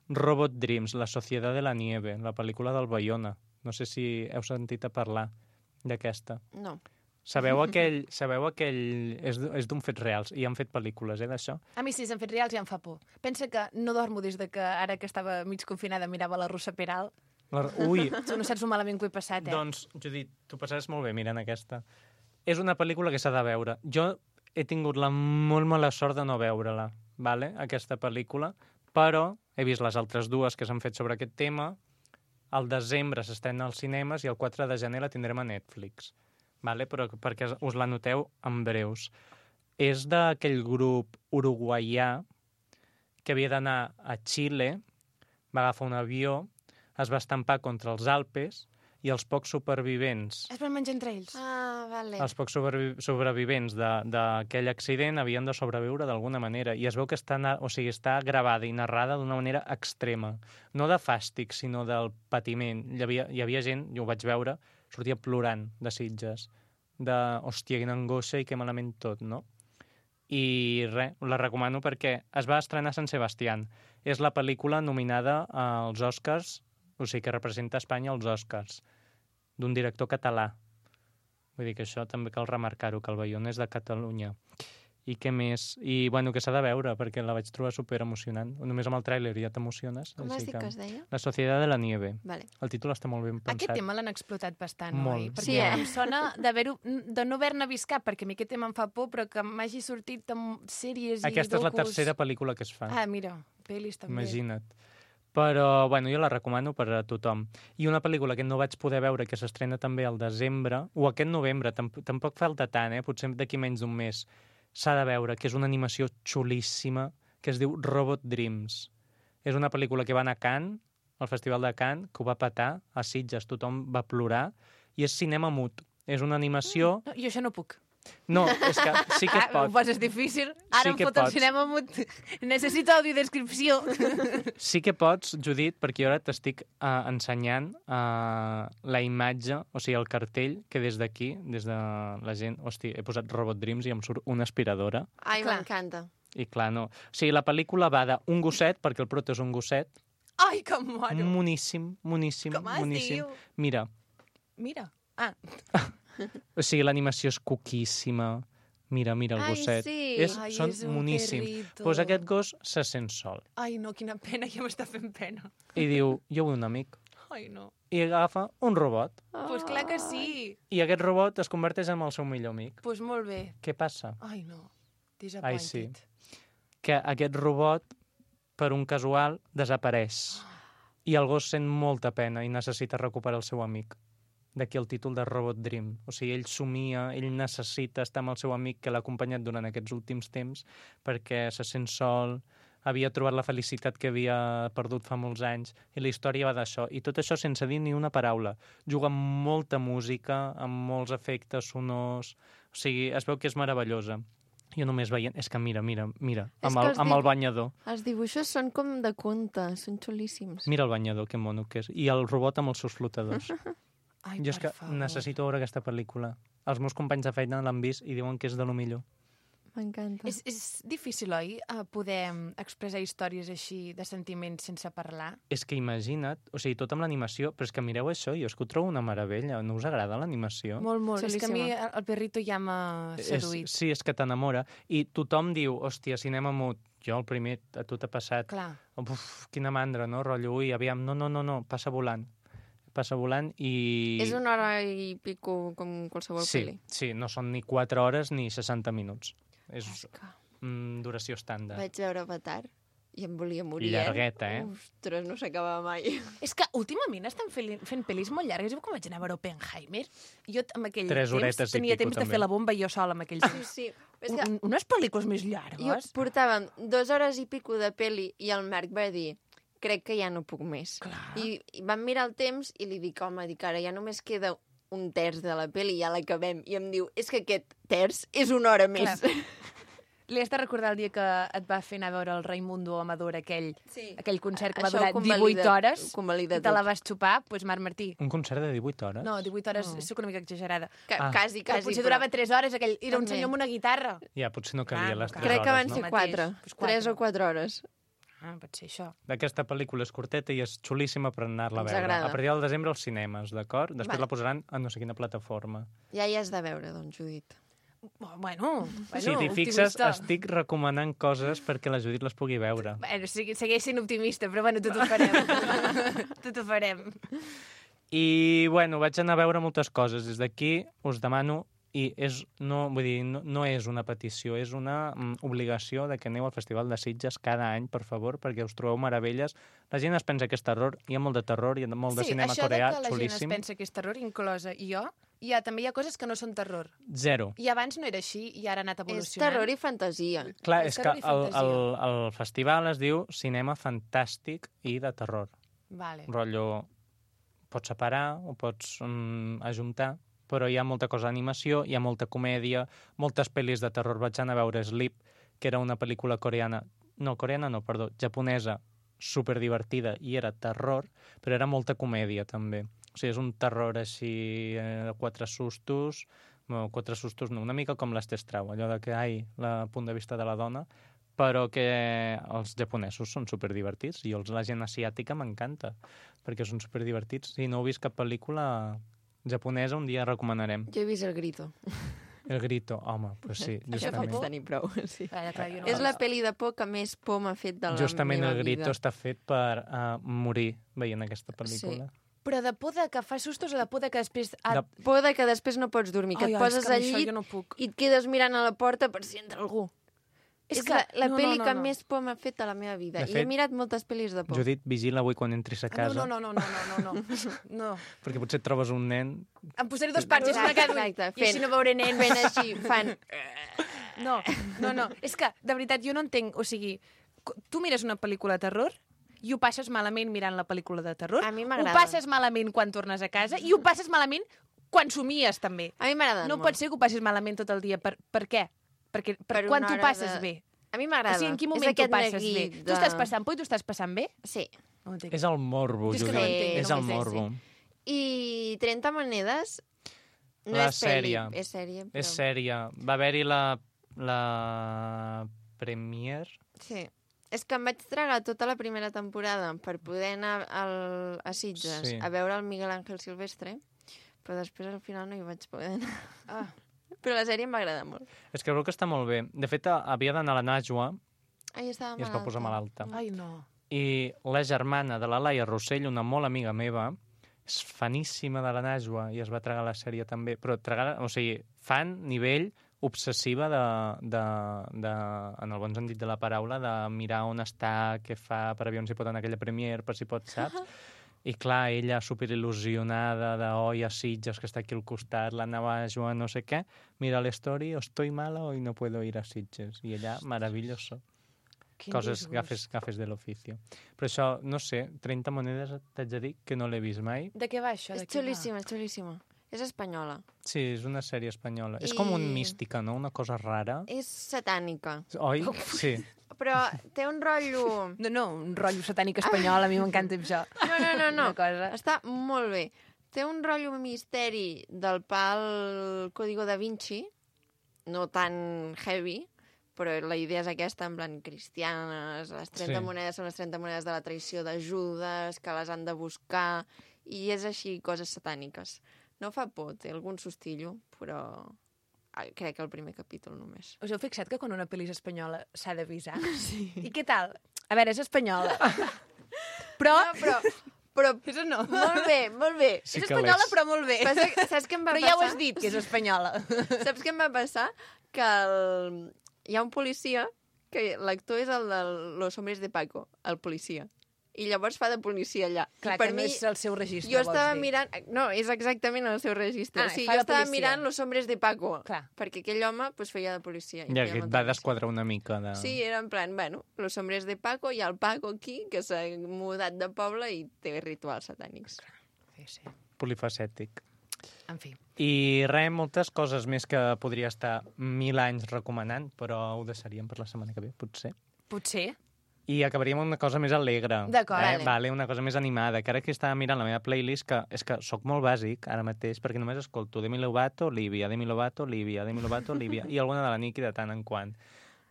Robot Dreams, La societat de la nieve, la pel·lícula del Bayona. No sé si heu sentit a parlar d'aquesta. No. Sabeu aquell... Sabeu aquell... És, d- és d'un fets reals, i han fet pel·lícules, eh, d'això? A mi sí, s'han fet reals i em fa por. Pensa que no dormo des de que ara que estava mig confinada mirava la Rosa Peral. La... Ui, Tu no saps el malament que ho he passat, eh? doncs, Judit, tu passaràs molt bé mirant aquesta. És una pel·lícula que s'ha de veure. Jo he tingut la molt mala sort de no veure-la, vale? Aquesta pel·lícula, però he vist les altres dues que s'han fet sobre aquest tema. Al desembre s'estrena als cinemes i el quatre de gener la tindrem a Netflix, vale? Però perquè us la noteu en breus. És d'aquell grup uruguaià que havia d'anar a Xile, va agafar un avió, es va estampar contra els Alpes i els pocs supervivents Es van menjar entre ells. Ah, vale. els pocs sobrevi sobrevivents de- d'aquell accident havien de sobreviure d'alguna manera. I es veu que està, na- o sigui, està gravada i narrada d'una manera extrema. No de fàstic, sinó del patiment. Hi havia, hi havia gent, jo ho vaig veure, sortia plorant de Sitges. De, hòstia, quina angoixa i que malament tot, no? I res, la recomano perquè es va estrenar a Sant Sebastián. És la pel·lícula nominada als Oscars, o sigui, que representa Espanya als Oscars, d'un director català. Vull dir que això també cal remarcar-ho, que el Bayona és de Catalunya. I què més? I, bueno, que s'ha de veure, perquè la vaig trobar super emocionant. Només amb el tràiler ja t'emociones. Com has dit que es deia? La Societat de la Nieve. Vale. El títol està molt ben pensat. Aquest tema l'han explotat bastant, Molt. oi? Perquè Sí, eh? em sona d'haver-ho- de no haver-ne vist cap, perquè a mi aquest tema em fa por, però que m'hagi sortit amb sèries Aquesta i és la docus. tercera pel·lícula que es fa. Ah, mira, pel·lis també. Imagina't. Però, bueno, jo la recomano per a tothom. I una pel·lícula que no vaig poder veure, que s'estrena també al desembre, o aquest novembre, tamp tampoc falta tant, eh? Potser d'aquí menys d'un mes, s'ha de veure, que és una animació xulíssima, que es diu Robot Dreams. És una pel·lícula que va anar a Cannes, al Festival de Cannes, que ho va petar, a Sitges tothom va plorar, i és cinema mut. És una animació... No, jo això no puc. No, és que sí que es Ah, ho pot. poses difícil. Ara Sí em que fot el pots. cinema mut. Necessito audiodescripció. Sí que pots, Judit, perquè jo ara t'estic uh, ensenyant uh, la imatge, o sigui, el cartell, que des d'aquí, des de la gent... Hosti, he posat Robot Dreams i em surt una aspiradora. Ai, Clar. m'encanta. I clar, no. O sigui, la pel·lícula va d'un gosset, perquè el prota és un gosset, Ai, que moro. moníssim, moníssim, Com es moníssim. diu? Mira, Mira. Ah, o sigui, l'animació és coquíssima. Mira, mira el Ai, gosset. sí. És, Ai, són és un moníssims. perrito. Doncs aquest gos se sent sol. ai, no, quina pena, ja m'està fent pena. I diu, jo vull un amic. Ai, no. I agafa un robot. Doncs pues clar que sí. I aquest robot es converteix en el seu millor amic. Doncs pues molt bé. Què passa? Ai, no. Disappointed. Ai, sí. Que aquest robot, per un casual, desapareix. I el gos sent molta pena i necessita recuperar el seu amic. D'aquí el títol de Robot Dream. O sigui, ell somia, ell necessita estar amb el seu amic que l'ha acompanyat durant aquests últims temps perquè se sent sol, havia trobat la felicitat que havia perdut fa molts anys, i la història va d'això. I tot això sense dir ni una paraula. Juga amb molta música, amb molts efectes sonors... O sigui, es veu que és meravellosa. Jo només veient... És que mira, mira, mira, És amb que el, els amb el dic- banyador. Els dibuixos són com de conte, són xulíssims. Mira el banyador, que mono que és. I el robot amb els seus flotadors. Ai, Jo és per que favor. necessito veure aquesta pel·lícula. Els meus companys de feina l'han vist i diuen que és de lo millor. M'encanta. És, és difícil, oi, eh, poder mm, expressar històries així de sentiments sense parlar? És que imagina't, o sigui, tot amb l'animació, però és que mireu això, jo és que ho trobo una meravella. No us agrada l'animació? Molt, molt. És que a mi Xulíssima. el, el perrito ja m'ha És, seduït. sí, és que t'enamora. I tothom diu, hòstia, cinema mut. Jo, el primer, a tu t'ha passat. Clar. Uf, quina mandra, no? Rotllo, ui, aviam, no, no, no, no, passa volant. Passa volant i... És una hora i pico com qualsevol sí, pel·li. sí, no són ni quatre hores ni seixanta minuts. És És que mm, duració estàndard. vaig veure Avatar i em volia morir, Llargueta, eh? Ostres, no s'acabava mai. És que últimament estan fent, fent pel·lis molt llargues. Jo quan vaig anar a veure Oppenheimer, jo amb aquell Tres horetes temps i tenia pico, temps de també. fer la bomba jo sola amb aquells Sí, temps. sí. És que Un, unes pel·lícules més jo llargues. portàvem dues hores i pico de peli i el Marc va dir crec que ja no puc més. Clar. I, I vam mirar el temps i li dic, home, dic, ara ja només queda un terç de la peli i ja l'acabem. I em diu, és que aquest terç és una hora més. Clar. Li has de recordar el dia que et va fer anar a veure el Raimundo Amador, aquell, Sí. aquell concert que va Això ho durar convalida- divuit hores, ho convalida i te la tot. vas xupar, doncs Marc Martí. Un concert de divuit hores? No, divuit hores, No. no. soc una mica exagerada. Que, Ah. Quasi, Que quasi. potser però durava tres hores, aquell, era un També. senyor amb una guitarra. Ja, potser no cabia Ah, les no tres cal. Crec que hores, van no? ser Mateix, quatre. doncs quatre. Tres o quatre hores. Ah, pot ser això. Aquesta pel·lícula és curteta i és xulíssima per anar-la a Ens veure. agrada. A partir del desembre als cinemes, d'acord? Després Vale. la posaran a no sé quina plataforma. Ja hi has de veure, doncs, Judit. Bueno, bueno si t'hi fixes, optimista. estic recomanant coses perquè la Judit les pugui veure. Bueno, sigui, segueix sent optimista, però bueno, tot ho farem. tot ho farem. I, bueno, vaig anar a veure moltes coses. Des d'aquí us demano, i és, no, vull dir, no, no és una petició, és una mm, obligació de que aneu al Festival de Sitges cada any, per favor, perquè us trobeu meravelles. La gent es pensa que és terror, hi ha molt de terror, hi ha molt de sí, cinema això coreà, de que la xulíssim. gent es pensa que és terror, inclosa i jo, hi ha, també hi ha coses que no són terror. Zero. I abans no era així, i ara ha anat És evolucionant. terror i fantasia. Clar, És és que terror i el, el, fantasia. el festival es diu Cinema Fantàstic i de Terror. Vale. Rotllo, pots separar o pots mm, ajuntar, però hi ha molta cosa d'animació, hi ha molta comèdia, moltes pel·lis de terror. Vaig anar a veure Sleep, que era una pel·lícula coreana, no, coreana no, perdó, japonesa, superdivertida, i era terror, però era molta comèdia, també. O sigui, és un terror així, eh, quatre sustos, no, quatre sustos no, una mica com l'Estestrau, allò de que, ai, el punt de vista de la dona, però que els japonesos són superdivertits i els, la gent asiàtica m'encanta, perquè són superdivertits. Si no heu vist cap pel·lícula japonesa, un dia recomanarem. Jo he vist El Grito. El Grito, home, pues sí, Ja justament. pots tenir prou, sí. Clar, clar, jo no És l'he la vist. pel·li de por que més por m'ha fet de la Justament meva El Grito vida. està fet per uh, morir veient aquesta pel·lícula. Però de por de que fa sustos o de por de que després... Ah, De- Por de que després no pots dormir, que ai, et ai, poses és que amb al això llit jo no puc. i et quedes mirant a la porta per si entra algú. És, És que que- la, la no, pel·li no, no, que no. més por m'ha fet a la meva vida. De I fet, he mirat moltes pel·lis de por. Judit, vigila avui quan entris a Ah, casa, no, no, no, no, no, no, no, no. perquè potser et trobes un nen... Em posaré dos parxes a Exacte, cada ull exacte, i així fent- no veuré nens. Fent així, fan... No, no, no. És que, de veritat, jo no entenc... O sigui, co- tu mires una pel·lícula de terror i ho passes malament mirant la pel·lícula de terror. A mi Ho m'agrada. passes malament quan tornes a casa i ho passes malament quan somies, també. A mi m'agraden No molt. pot ser que ho passis malament tot el dia. Per, per què? Perquè, per, Per quan una t'ho hora passes de- bé? A mi O m'agrada. sigui, en quin És moment t'ho aquest passes bé? neguit Tu estàs passant por i tu estàs passant bé? Sí. No ho entenc. És el morbo, Jo és que Judit. no ho entenc, és no el ho entenc, morbo. I trenta monedes no La és pel·li, sèrie. és sèrie. Però... És sèrie. Va haver-hi la, la premier... Sí. És que em vaig tragar tota la primera temporada per poder anar al, a Sitges Sí. a veure el Miguel Ángel Silvestre, però després al final no hi vaig poder anar. Ah. Però la sèrie em va agradar molt. És que crec que està molt bé. De fet, havia d'anar a la Najwa Ai, estava i es va posar malalta. Ai, no. I la germana de la Laia Rossell, una molt amiga meva, és faníssima de la Najwa i es va tragar la sèrie també. Però tragar, o sigui, fan nivell obsessiva de, de, de, en el bon sentit de la paraula, de mirar on està, què fa, per aviam si pot anar a aquella premier, per si pot, saps? I clar, ella superil·lusionada de oi a Sitges, que està aquí al costat, la Najwa, no sé què, mira l'story, estoy mala, hoy no puedo ir a Sitges. I ella, maravilloso. Quin Coses, disgust. gafes, gafes de l'oficio. Però això, no sé, trenta monedes t'haig de dir que no l'he vist mai. De què va això? És De què va? xulíssima, és xulíssima. És espanyola. Sí, és una sèrie espanyola. És I- com un mística, no? Una cosa rara. És satànica. Oi? Sí. Però té un rotllo... No, no, un rotllo satànic espanyol, a mi m'encanta això. No, no, no, no. Una cosa. Està molt bé. Té un rotllo misteri del pal Código da Vinci, no tan heavy, però la idea és aquesta, en plan cristianes, les trenta Sí. monedes són les trenta monedes de la traïció de Judes, que les han de buscar, i és així, coses satàniques. No fa por, té algun sustillo, però ah, crec que el primer capítol només. Us heu fixat que quan una pel·li és espanyola s'ha d'avisar? Sí. I què tal? A veure, és espanyola. Però... No, però, però És o no? molt bé, molt bé. Sí és que espanyola, l'és. però molt bé. Passa, saps què em va Però passar? ja ho has dit, que és espanyola. Saps què em va passar? Que el... hi ha un policia, que l'actor és el de Los Hombres de Paco, el policia. I llavors fa de policia allà. Clar, I per que no mi, és el seu registre, jo vols estava dir. mirant... No, és exactament el seu registre. Ah, sí, fa jo de estava policia. mirant Los Hombres de Paco, Clar. perquè aquell home pues, feia de policia. i Ja feia que et molta va gràcia. desquadrar una mica de... Sí, era en plan, bueno, Los Hombres de Paco, hi ha el Paco aquí, que s'ha mudat de poble i té rituals satànics. Sí, sí. Polifacètic. En fi. I res, moltes coses més que podria estar mil anys recomanant, però ho deixaríem per la setmana que ve, potser. Potser. I acabaríem amb una cosa més alegre. D'acord, eh? vale. Vale, una cosa més animada, que ara que estava mirant la meva playlist, que és que sóc molt bàsic ara mateix, perquè només escolto Demi Lovato, Olivia, Demi Lovato, Olivia, Demi Lovato, Olivia, i alguna de la Nicki de tant en quant.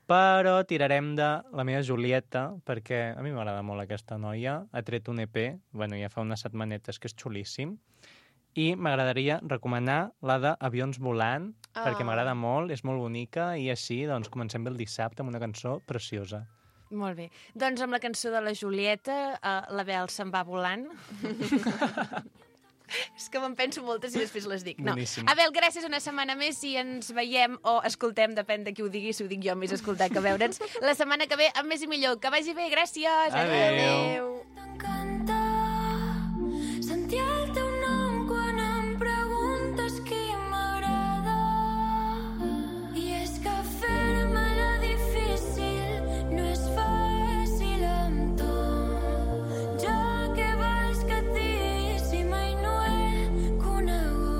Però tirarem de la meva Julieta, perquè a mi m'agrada molt aquesta noia, ha tret un E P, bueno, ja fa unes setmanetes, que és xulíssim, i m'agradaria recomanar la d'Avions volant, Ah. perquè m'agrada molt, és molt bonica, i així doncs, comencem bé el dissabte amb una cançó preciosa. Molt bé. Doncs amb la cançó de la Julieta, uh, la Bel se'n va volant. És que me'n penso moltes i després les dic. No. Boníssim. Abel, gràcies una setmana més i ens veiem o escoltem, depèn de qui ho digui, si ho dic jo més escoltar que veure'ns, la setmana que ve amb més i millor. Que vagi bé, gràcies! Adéu. T'encanta sentir el teu nom quan em preguntes qui m'agrada. I és que fer-me la difícil no és fàcil amb tu. Ja que vas que et digui si mai no he conegut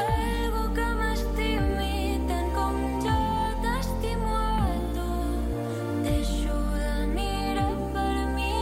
algú que m'estimi tant com jo t'estimo a tu. Deixo de mirar per mi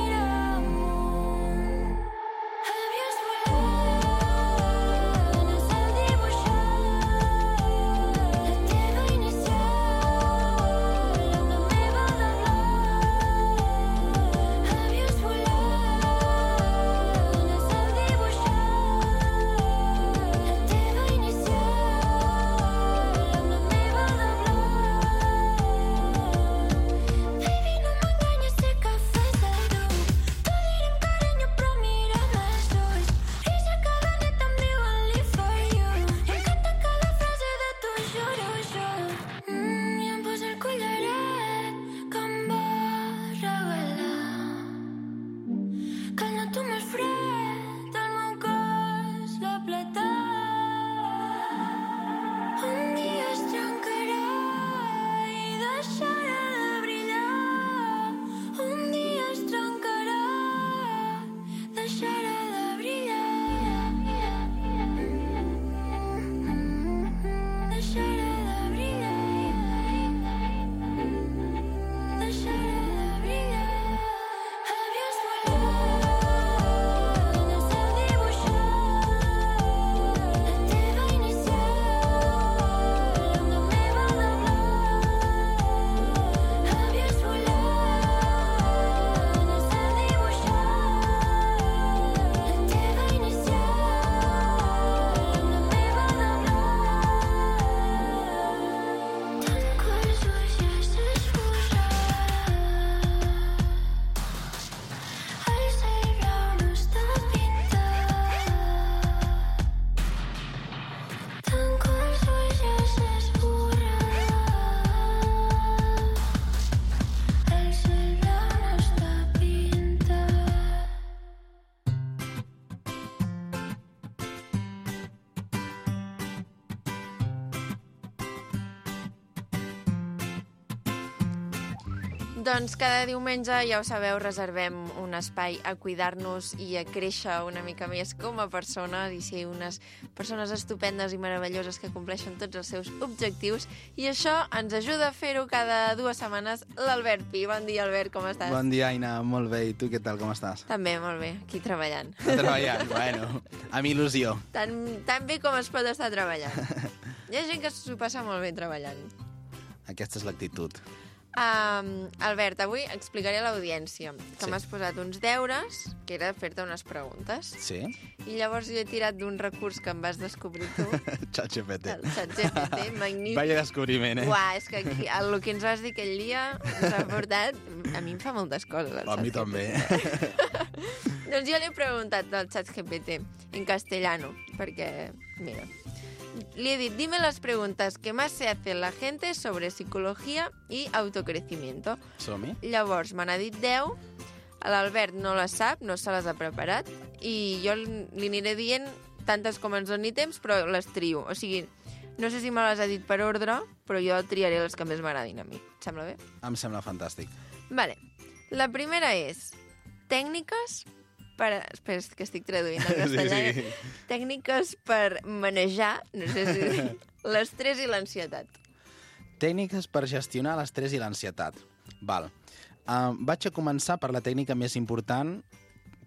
Doncs cada diumenge, ja ho sabeu, reservem un espai a cuidar-nos i a créixer una mica més com a persones i ser unes persones estupendes i meravelloses que compleixen tots els seus objectius. I això ens ajuda a fer-ho cada dues setmanes l'Albert Pi. Bon dia, Albert, com estàs? Bon dia, Aina. Molt bé. I tu què tal, com estàs? També, molt bé. Aquí treballant. Treballant, bueno, amb il·lusió. Tan, tan bé com es pot estar treballant. Hi ha gent que s'ho passa molt bé treballant. Aquesta és l'actitud. Um, Albert, avui explicaré a l'audiència que Sí. m'has posat uns deures, que era fer-te unes preguntes, Sí? i llavors jo he tirat d'un recurs que em vas descobrir tu, ChatGPT. el ChatGPT, magnífic. Vaya descobriment, eh? Uà, és que aquí, el que ens vas dir aquell dia ens ha portat... A mi em fa moltes coses, el A mi ChatGPT. també. Doncs jo li he preguntat al ChatGPT en castellano, perquè, mira, le he dit, dime las preguntas que más se hace la gente sobre psicología y autocrecimiento. Som-hi? Llavors, me n'ha dit deu, l'Albert no les sap, no se les ha preparat, i jo li aniré dient tantes com ens doni temps, però les trio. O sigui, no sé si me les ha dit per ordre, però jo triaré les que més m'agradin a mi. Et sembla bé? Em sembla fantàstic. Vale. La primera és tècniques per... Espera, és que estic traduint al castellà. Sí, sí. Tècniques per manejar, no sé si... l'estrès i l'ansietat. Tècniques per gestionar l'estrès i l'ansietat. Val. Uh, vaig a començar per la tècnica més important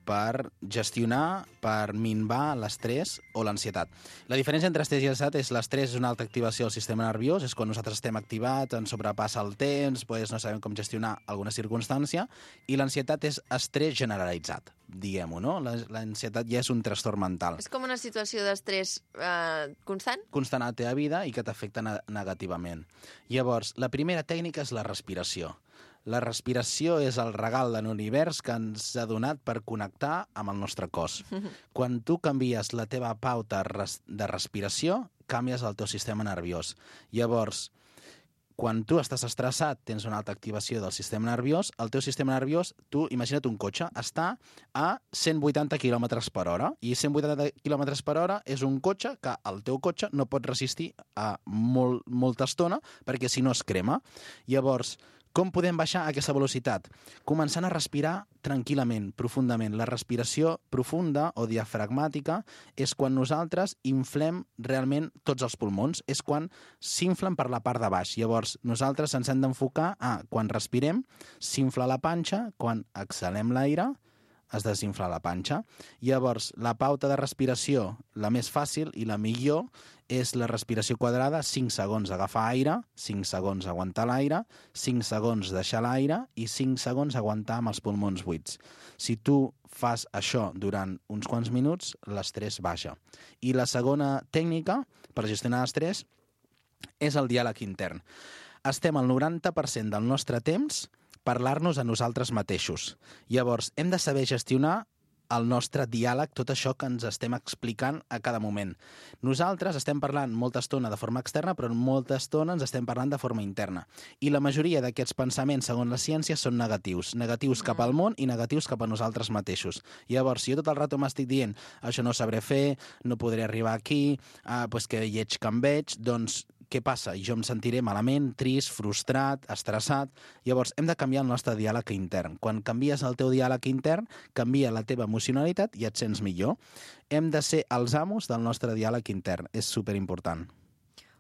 per gestionar, per minvar l'estrès o l'ansietat. La diferència entre estrès i ansietat és l'estrès és una alta activació del sistema nerviós, és quan nosaltres estem activats, ens sobrepassa el temps, pues no sabem com gestionar alguna circumstància, i l'ansietat és estrès generalitzat, diguem-ho, no? L'ansietat ja és un trastorn mental. És com una situació d'estrès eh, constant? Constant a la teva vida i que t'afecta ne negativament. Llavors, la primera tècnica és la respiració. La respiració és el regal de l'univers que ens ha donat per connectar amb el nostre cos. Quan tu canvies la teva pauta res de respiració, canvies el teu sistema nerviós. Llavors, quan tu estàs estressat, tens una alta activació del sistema nerviós, el teu sistema nerviós, tu imagina't un cotxe, està a cent vuitanta quilòmetres per hora, i cent vuitanta quilòmetres per hora és un cotxe que el teu cotxe no pot resistir a molt, molta estona, perquè si no es crema. Llavors, com podem baixar aquesta velocitat? Començant a respirar tranquil·lament, profundament. La respiració profunda o diafragmàtica és quan nosaltres inflem realment tots els pulmons, és quan s'inflen per la part de baix. Llavors, nosaltres ens hem d'enfocar a, quan respirem, s'infla la panxa, quan exhalem l'aire, es desinfla la panxa. Llavors, la pauta de respiració, la més fàcil i la millor, és la respiració quadrada, cinc segons agafar aire, cinc segons aguantar l'aire, cinc segons deixar l'aire i cinc segons aguantar amb els pulmons buits. Si tu fas això durant uns quants minuts, l'estrès baixa. I la segona tècnica per gestionar l'estrès és el diàleg intern. Estem al noranta per cent del nostre temps parlar-nos a nosaltres mateixos. Llavors, hem de saber gestionar el nostre diàleg, tot això que ens estem explicant a cada moment. Nosaltres estem parlant molta estona de forma externa, però molta estona ens estem parlant de forma interna. I la majoria d'aquests pensaments, segons la ciència, són negatius. Negatius cap al món i negatius cap a nosaltres mateixos. Llavors, si jo tot el rato m'estic dient això no ho sabré fer, no podré arribar aquí, ah, pues que lleig que em veig, doncs què passa? Jo em sentiré malament, trist, frustrat, estressat. Llavors, hem de canviar el nostre diàleg intern. Quan canvies el teu diàleg intern, canvia la teva emocionalitat i et sents millor. Hem de ser els amos del nostre diàleg intern. És superimportant.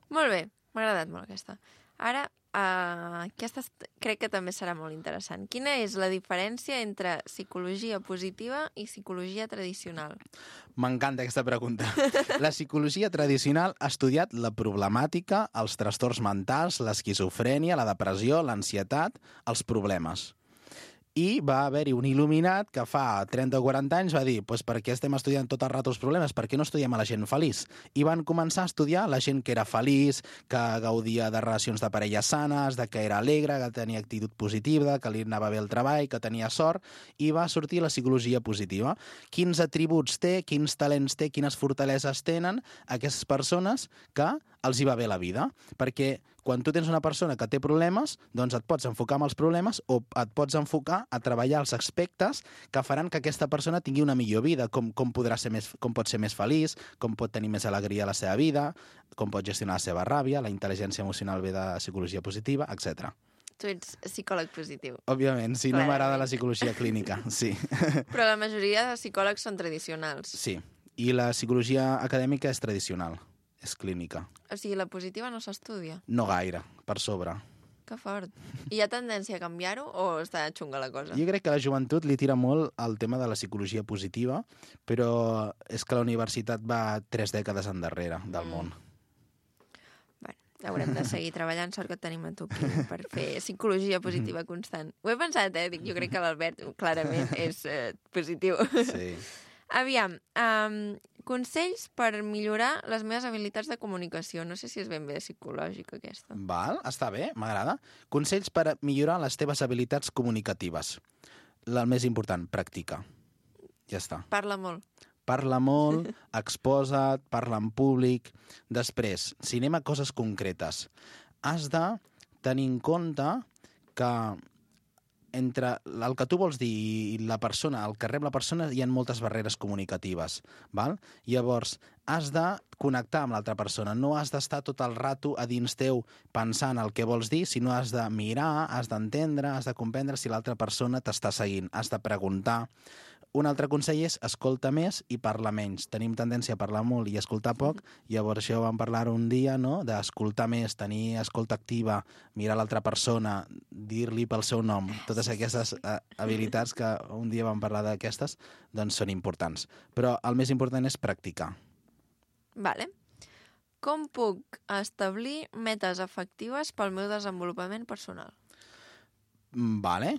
Molt bé, m'ha agradat molt aquesta. Ara, uh, aquesta crec que també serà molt interessant. Quina és la diferència entre psicologia positiva i psicologia tradicional? M'encanta aquesta pregunta. La psicologia tradicional ha estudiat la problemàtica, els trastorns mentals, l'esquizofrènia, la depressió, l'ansietat, els problemes. I va haver-hi un il·luminat que fa trenta o quaranta anys va dir pues per què estem estudiant tot el rato els problemes? Per què no estudiem a la gent feliç? I van començar a estudiar la gent que era feliç, que gaudia de relacions de parella sanes, de que era alegre, que tenia actitud positiva, que li anava bé el treball, que tenia sort, i va sortir la psicologia positiva. Quins atributs té, quins talents té, quines fortaleses tenen aquestes persones que els hi va bé la vida? Perquè quan tu tens una persona que té problemes, doncs et pots enfocar en els problemes o et pots enfocar a treballar els aspectes que faran que aquesta persona tingui una millor vida, com, com, podrà ser més, com pot ser més feliç, com pot tenir més alegria a la seva vida, com pot gestionar la seva ràbia, la intel·ligència emocional ve de psicologia positiva, etcètera. Tu ets psicòleg positiu. Òbviament, sí, no Clarament. m'agrada la psicologia clínica, sí. Però la majoria de psicòlegs són tradicionals. Sí, i la psicologia acadèmica és tradicional, és clínica. O sigui, la positiva no s'estudia. No gaire, per sobre. Que fort. I hi ha tendència a canviar-ho o està xunga la cosa? Jo crec que a la joventut li tira molt el tema de la psicologia positiva, però és que la universitat va tres dècades endarrere del Mm. món. Bueno, haurem de seguir treballant, sort que et tenim a tu aquí per fer psicologia positiva constant. Ho he pensat, eh? Dic, jo crec que l'Albert clarament és eh, positiu. Sí. Aviam, um, consells per millorar les meves habilitats de comunicació. No sé si és ben bé psicològica, aquesta. Val, està bé, m'agrada. Consells per millorar les teves habilitats comunicatives. El més important, practica. Ja està. Parla molt. Parla molt, exposa't, parla en públic. Després, si anem a coses concretes, has de tenir en compte que entre el que tu vols dir i la persona, el que rep la persona, hi ha moltes barreres comunicatives. Val? Llavors, has de connectar amb l'altra persona. No has d'estar tot el rato a dins teu pensant el que vols dir, sinó has de mirar, has d'entendre, has de comprendre si l'altra persona t'està seguint. Has de preguntar. Un altre consell és escolta més i parla menys. Tenim tendència a parlar molt i escoltar poc, llavors això vam parlar un dia, no?, d'escoltar més, tenir escolta activa, mirar l'altra persona, dir-li pel seu nom. Totes aquestes eh, habilitats que un dia vam parlar d'aquestes, doncs són importants. Però el més important és practicar. Vale. Com puc establir metes efectives pel meu desenvolupament personal? Vale.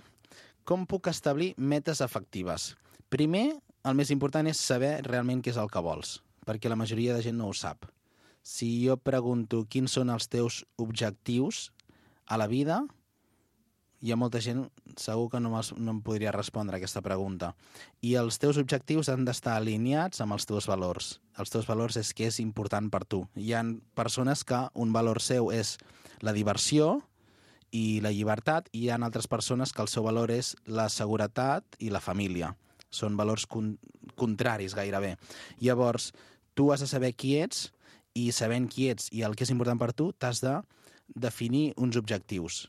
Com puc establir metes efectives? Primer, el més important és saber realment què és el que vols, perquè la majoria de gent no ho sap. Si jo pregunto quins són els teus objectius a la vida, hi ha molta gent segur que no, no em podria respondre a aquesta pregunta. I els teus objectius han d'estar alineats amb els teus valors. Els teus valors és què és important per tu. Hi ha persones que un valor seu és la diversió i la llibertat, i hi ha altres persones que el seu valor és la seguretat i la família. Són valors con contraris gairebé. Llavors, tu has de saber qui ets, i sabent qui ets i el que és important per tu, t'has de definir uns objectius.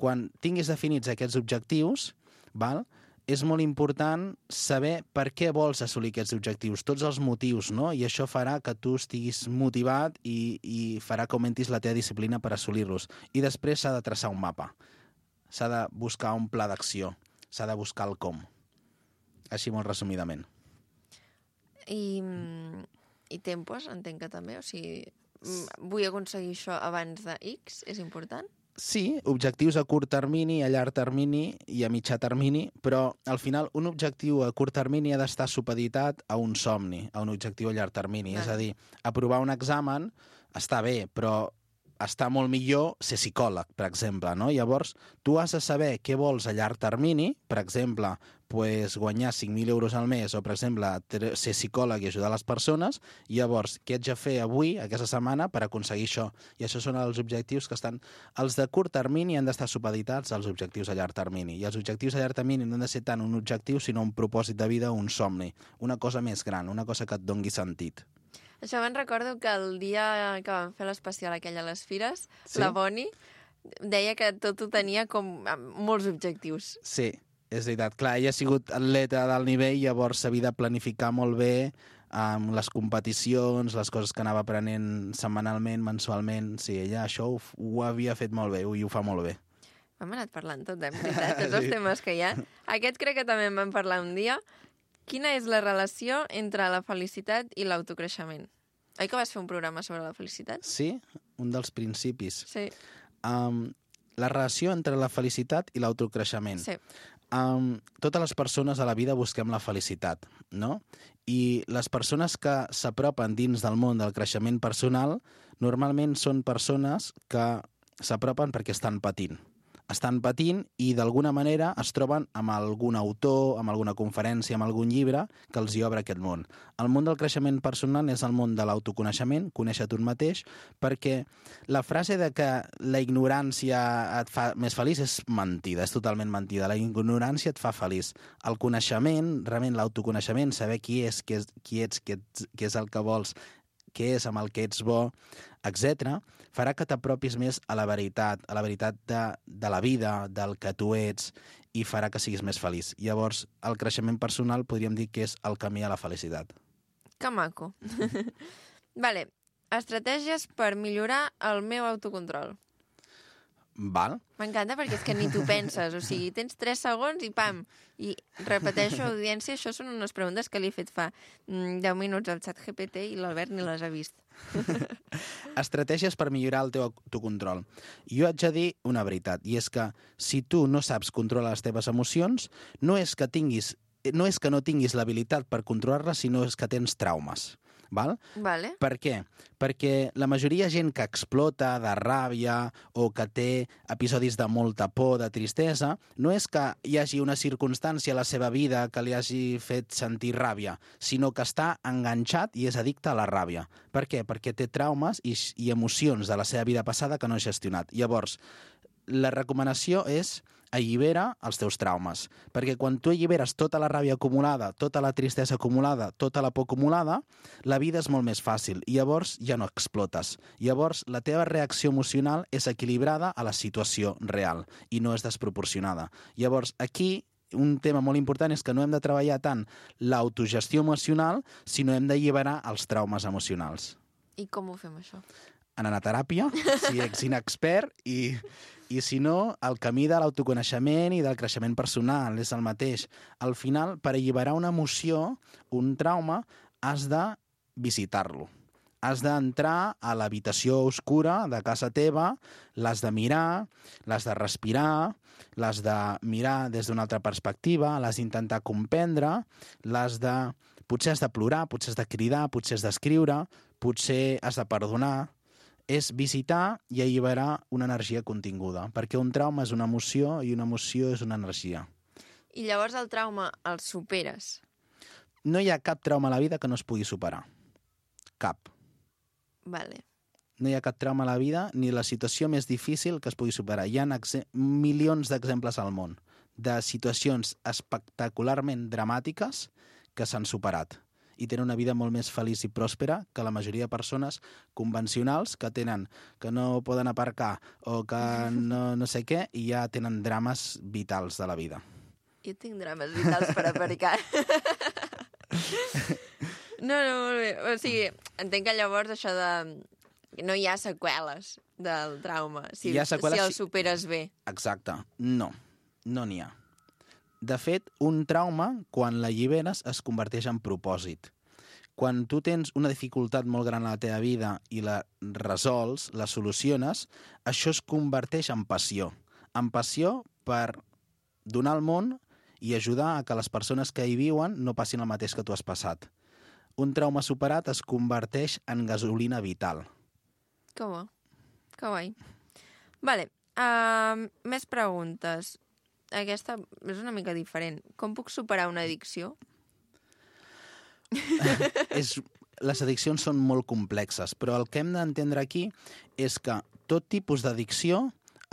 Quan tinguis definits aquests objectius, val, és molt important saber per què vols assolir aquests objectius, tots els motius, no? I això farà que tu estiguis motivat i, i farà que augmentis la teva disciplina per assolir-los. I després s'ha de traçar un mapa. S'ha de buscar un pla d'acció. S'ha de buscar el com. Així molt resumidament. I, i tempos, entenc que també. O sigui, vull aconseguir això abans de X, és important? Sí, objectius a curt termini, a llarg termini i a mitjà termini, però al final un objectiu a curt termini ha d'estar supeditat a un somni, a un objectiu a llarg termini. Vale. És a dir, aprovar un examen està bé, però està molt millor ser psicòleg, per exemple, no? Llavors, tu has de saber què vols a llarg termini, per exemple, pues, guanyar cinc mil euros al mes o, per exemple, ser psicòleg i ajudar les persones, i llavors, què haig de fer avui, aquesta setmana, per aconseguir això? I això són els objectius que estan... Els de curt termini han d'estar supeditats als objectius a llarg termini, i els objectius a llarg termini no han de ser tant un objectiu, sinó un propòsit de vida, un somni, una cosa més gran, una cosa que et dongui sentit. Això me'n recordo que el dia que vam fer l'especial aquella a les Fires, Sí? la Boni deia que tot ho tenia com amb molts objectius. Sí, és veritat. Clar, ella ha sigut atleta d'alt nivell, llavors s'havia de planificar molt bé amb les competicions, les coses que anava aprenent setmanalment, mensualment. Sí, ella això ho, ho havia fet molt bé i ho fa molt bé. Hem anat parlant tot, eh, en veritat, tots els temes que hi ha. Aquest crec que també en vam parlar un dia. Quina és la relació entre la felicitat i l'autocreixement? Oi que vas fer un programa sobre la felicitat? Sí, un dels principis. Sí. Um, la relació entre la felicitat i l'autocreixement. Sí. Um, totes les persones a la vida busquem la felicitat, no? I les persones que s'apropen dins del món del creixement personal normalment són persones que s'apropen perquè estan patint. Estan patint i d'alguna manera es troben amb algun autor, amb alguna conferència, amb algun llibre que els hi obre aquest món. El món del creixement personal és el món de l'autoconeixement, conèixer tu mateix, perquè la frase de que la ignorància et fa més feliç és mentida, és totalment mentida. La ignorància et fa feliç. El coneixement, realment l'autoconeixement, saber qui és, qui, és, qui ets, què, ets, què és el que vols, què és amb el que ets bo, etcètera, farà que t'apropis més a la veritat, a la veritat de, de la vida, del que tu ets, i farà que siguis més feliç. Llavors, el creixement personal podríem dir que és el camí a la felicitat. Que maco. Vale, estratègies per millorar el meu autocontrol. Val? M'encanta perquè és que ni t'ho penses, o sigui, tens tres segons i pam, i repeteixo, audiència, això són unes preguntes que li he fet fa mm, deu minuts al xat G P T i l'Albert ni les ha vist. Estratègies per millorar el teu autocontrol. Jo haig de dir una veritat, i és que si tu no saps controlar les teves emocions, no és que tinguis, no és que no tinguis l'habilitat per controlar-les, sinó és que tens traumes. Val? Vale. Per què? Perquè la majoria de gent que explota de ràbia o que té episodis de molta por, de tristesa, no és que hi hagi una circumstància a la seva vida que li hagi fet sentir ràbia, sinó que està enganxat i és addicte a la ràbia. Per què? Perquè té traumes i, i emocions de la seva vida passada que no ha gestionat. Llavors, la recomanació és allibera els teus traumes, perquè quan tu alliberes tota la ràbia acumulada, tota la tristesa acumulada, tota la por acumulada, la vida és molt més fàcil i llavors ja no explotes. Llavors la teva reacció emocional és equilibrada a la situació real i no és desproporcionada. Llavors aquí un tema molt important és que no hem de treballar tant l'autogestió emocional, sinó hem d'alliberar els traumes emocionals. I com ho fem, això? Anant a teràpia, si ets inexpert, i, i si no, el camí de l'autoconeixement i del creixement personal és el mateix. Al final, per alliberar una emoció, un trauma, has de visitar-lo. Has d'entrar a l'habitació oscura de casa teva, l'has de mirar, l'has de respirar, l'has de mirar des d'una altra perspectiva, l'has d'intentar comprendre, l'has de... Potser has de plorar, potser has de cridar, potser has d'escriure, potser has de perdonar. És visitar i alliberar una energia continguda, perquè un trauma és una emoció i una emoció és una energia. I llavors el trauma el superes? No hi ha cap trauma a la vida que no es pugui superar. Cap. Vale. No hi ha cap trauma a la vida ni la situació més difícil que es pugui superar. Hi ha milions d'exemples al món de situacions espectacularment dramàtiques que s'han superat i tenen una vida molt més feliç i pròspera que la majoria de persones convencionals que tenen, que no poden aparcar o que no, no sé què, i ja tenen drames vitals de la vida. Jo tinc drames vitals per aparcar. No, no, molt bé. O sigui, entenc que llavors això de... No hi ha seqüeles del trauma, si, Hi ha seqüeles, si el superes bé. Exacte. No, no n'hi ha. De fet, un trauma, quan l'alliberes, es converteix en propòsit. Quan tu tens una dificultat molt gran a la teva vida i la resols, la soluciones, això es converteix en passió. En passió per donar al món i ajudar a que les persones que hi viuen no passin el mateix que tu has passat. Un trauma superat es converteix en gasolina vital. Que bo. Que guai. Vale. Uh, més preguntes. Aquesta és una mica diferent. Com puc superar una addicció? és, les addiccions són molt complexes, però el que hem d'entendre aquí és que tot tipus d'addicció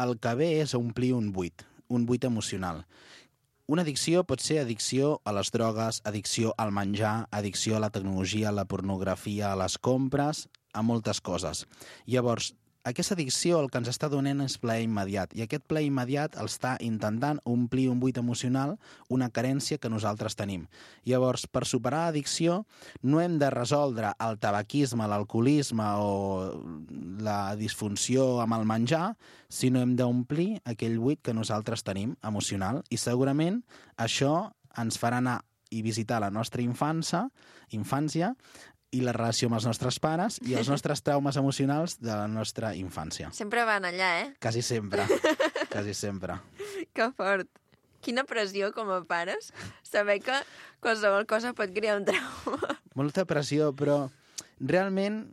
el que ve és a omplir un buit, un buit emocional. Una addicció pot ser addicció a les drogues, addicció al menjar, addicció a la tecnologia, a la pornografia, a les compres, a moltes coses. Llavors, aquesta addicció el que ens està donant és plaer immediat, i aquest plaer immediat el està intentant omplir un buit emocional, una carència que nosaltres tenim. Llavors, per superar l'addicció, no hem de resoldre el tabaquisme, l'alcoholisme o la disfunció amb el menjar, sinó hem d'omplir aquell buit que nosaltres tenim, emocional, i segurament això ens farà anar i visitar la nostra infància, infància, i la relació amb els nostres pares i els nostres traumes emocionals de la nostra infància. Sempre van allà, eh? Quasi sempre. Quasi sempre. Que fort. Quina pressió com a pares saber que qualsevol cosa pot crear un trauma. Molta pressió, però realment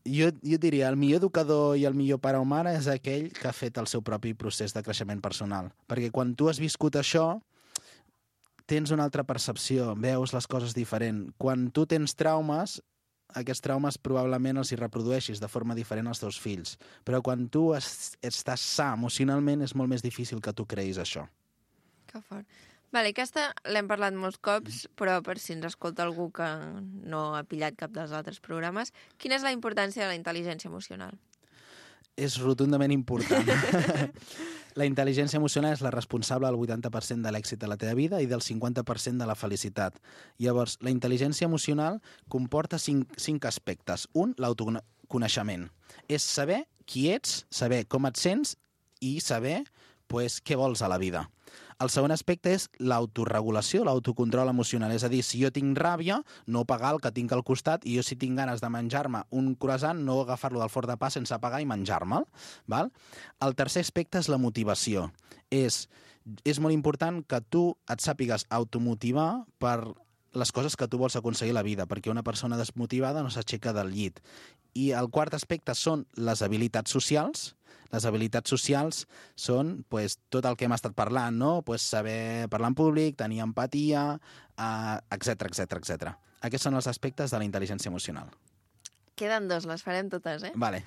jo, jo diria el millor educador i el millor pare o mare és aquell que ha fet el seu propi procés de creixement personal. Perquè quan tu has viscut això, tens una altra percepció, veus les coses diferent. Quan tu tens traumes, aquests traumes probablement els hi reprodueixis de forma diferent als teus fills. Però quan tu es, estàs sa emocionalment és molt més difícil que tu creïs això. Que fort. Vale, aquesta l'hem parlat molts cops, però per si ens escolta algú que no ha pillat cap dels altres programes, quina és la importància de la intel·ligència emocional? és rotundament important. La intel·ligència emocional és la responsable del vuitanta per cent de l'èxit de la teva vida i del cinquanta per cent de la felicitat. Llavors, la intel·ligència emocional comporta cinc, cinc aspectes. Un, l'autoconeixement. És saber qui ets, saber com et sents i saber pues, què vols a la vida. El segon aspecte és l'autoregulació, l'autocontrol emocional. És a dir, si jo tinc ràbia, no pagar el que tinc al costat, i jo si tinc ganes de menjar-me un croissant, no agafar-lo del forn de pa sense pagar i menjar-me'l. Val? El tercer aspecte és la motivació. És, és molt important que tu et sàpigues automotivar per les coses que tu vols aconseguir a la vida, perquè una persona desmotivada no s'aixeca del llit. I el quart aspecte són les habilitats socials. Les habilitats socials són pues, tot el que hem estat parlant, no? Pues, saber parlar en públic, tenir empatia, uh, etcètera, etcètera, etcètera. Aquests són els aspectes de la intel·ligència emocional. Queden dos, les farem totes, eh? Vale.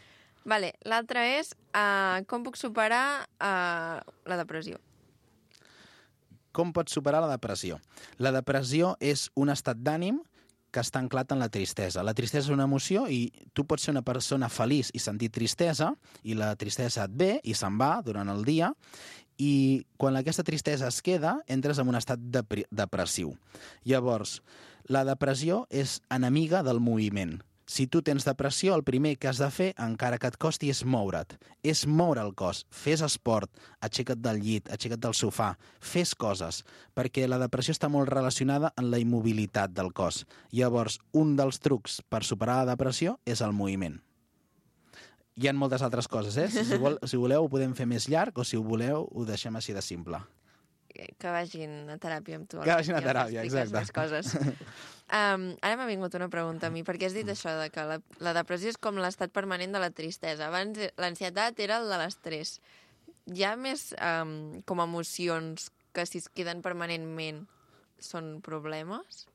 Vale. L'altre és uh, com puc superar uh, la depressió. Com pots superar la depressió? La depressió és un estat d'ànim que està anclat en la tristesa. La tristesa és una emoció i tu pots ser una persona feliç i sentir tristesa i la tristesa et ve i se'n va durant el dia i quan aquesta tristesa es queda entres en un estat dep- depressiu. Llavors, la depressió és enemiga del moviment. Si tu tens depressió, el primer que has de fer, encara que et costi, és moure't. És moure el cos. Fes esport, aixeca't del llit, aixeca't del sofà, fes coses, perquè la depressió està molt relacionada amb la immobilitat del cos. Llavors, un dels trucs per superar la depressió és el moviment. Hi ha moltes altres coses, eh? Si, vol, si voleu, ho podem fer més llarg, o si ho voleu, ho deixem així de simple. Que vagin a teràpia amb tu. Que vagin a teràpia, exacte. Més coses. Um, ara m'ha vingut una pregunta a mi, perquè has dit això de que la, la depressió és com l'estat permanent de la tristesa. Abans l'ansietat era el de l'estrès. Hi ha més um, com emocions que si es queden permanentment són problemes?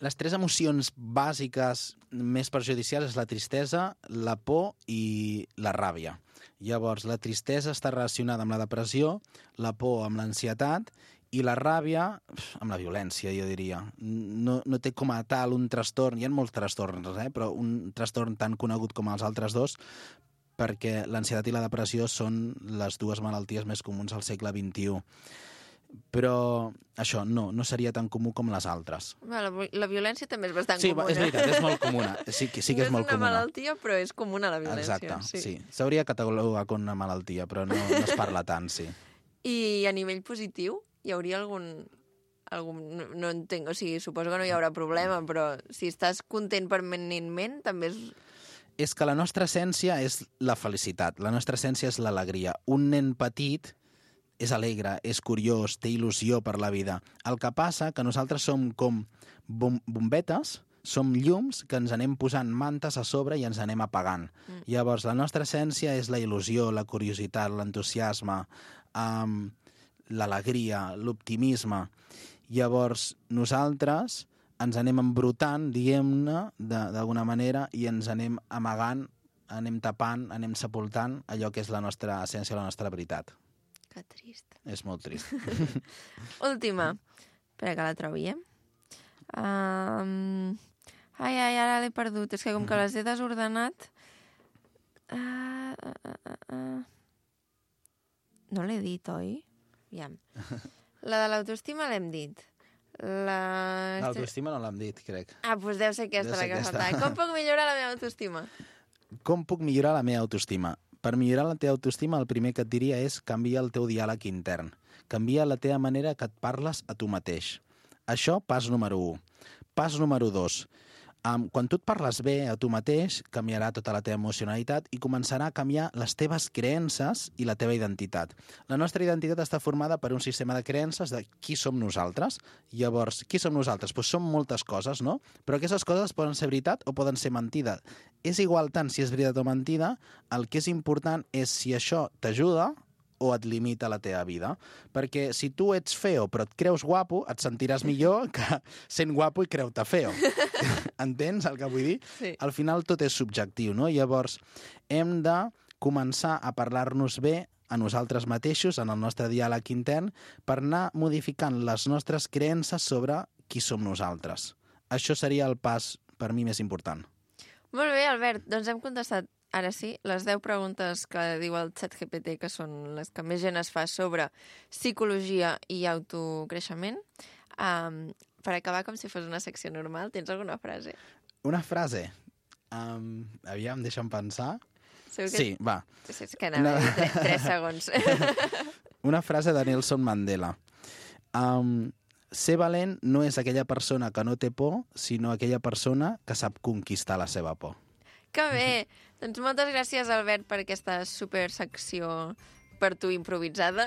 Les tres emocions bàsiques més perjudicials és la tristesa, la por i la ràbia. Llavors, la tristesa està relacionada amb la depressió, la por amb l'ansietat i la ràbia amb la violència, jo diria. No, no té com a tal un trastorn, hi ha molts trastorns, eh? Però un trastorn tan conegut com els altres dos, perquè l'ansietat i la depressió són les dues malalties més comuns al segle vint-i-u. Però això no, no seria tan comú com les altres. La, la violència també és bastant sí, comuna. Sí, és veritat, és molt comuna. Sí, sí que és molt comuna. No és una malaltia, però és comuna la violència. Exacte, sí. sí. S'hauria catalogat com una malaltia, però no, no es parla tant, sí. I a nivell positiu, hi hauria algun... algun no, no entenc, o sigui, suposo que no hi haurà problema, però si estàs content permanentment, també és... És que la nostra essència és la felicitat, la nostra essència és l'alegria. Un nen petit és alegre, és curiós, té il·lusió per la vida. El que passa que nosaltres som com bom bombetes, som llums que ens anem posant mantes a sobre i ens anem apagant. Mm. Llavors, la nostra essència és la il·lusió, la curiositat, l'entusiasme, um, l'alegria, l'optimisme. Llavors, nosaltres ens anem embrutant, diguem-ne, d'alguna manera, i ens anem amagant, anem tapant, anem sepultant allò que és la nostra essència, la nostra veritat. Que trist. És molt trist. Última. Espera que la trobi, eh? Um... Ai, ai, ara l'he perdut. És que com que les he desordenat... Uh, uh, uh, uh. No l'he dit, oi? Aviam. La de l'autoestima l'hem dit. La... L'autoestima no l'hem dit, crec. Ah, doncs deu ser aquesta deu la ser que aquesta. faltava. Com puc millorar la meva autoestima? Com puc millorar la meva autoestima? Per millorar la teva autoestima, el primer que et diria és canviar el teu diàleg intern. Canvia la teva manera que et parles a tu mateix. Això, pas número u. Pas número dos. Um, quan tu et parles bé a tu mateix, canviarà tota la teva emocionalitat i començarà a canviar les teves creences i la teva identitat. La nostra identitat està formada per un sistema de creences de qui som nosaltres. Llavors, qui som nosaltres? Pues som moltes coses, no? Però aquestes coses poden ser veritat o poden ser mentida. És igual tant si és veritat o mentida, el que és important és si això t'ajuda o et limita la teva vida. Perquè si tu ets feo però et creus guapo, et sentiràs millor que sent guapo i creu-te feo. Entens el que vull dir? Sí. Al final tot és subjectiu, no? Llavors, hem de començar a parlar-nos bé a nosaltres mateixos, en el nostre diàleg intern, per anar modificant les nostres creences sobre qui som nosaltres. Això seria el pas, per mi, més important. Molt bé, Albert. Doncs hem contestat ara sí, les deu preguntes que diu el ChatGPT, que són les que més gent es fa sobre psicologia i autocreixement. Um, per acabar, com si fos una secció normal, tens alguna frase? Una frase. Um, aviam, deixa'm pensar. Segur que... Sí, va. Sí, és que anava a dir tres, tres segons. Una frase de Nelson Mandela. Um, ser valent no és aquella persona que no té por, sinó aquella persona que sap conquistar la seva por. Que bé! Doncs moltes gràcies, Albert, per aquesta supersecció per tu improvisada.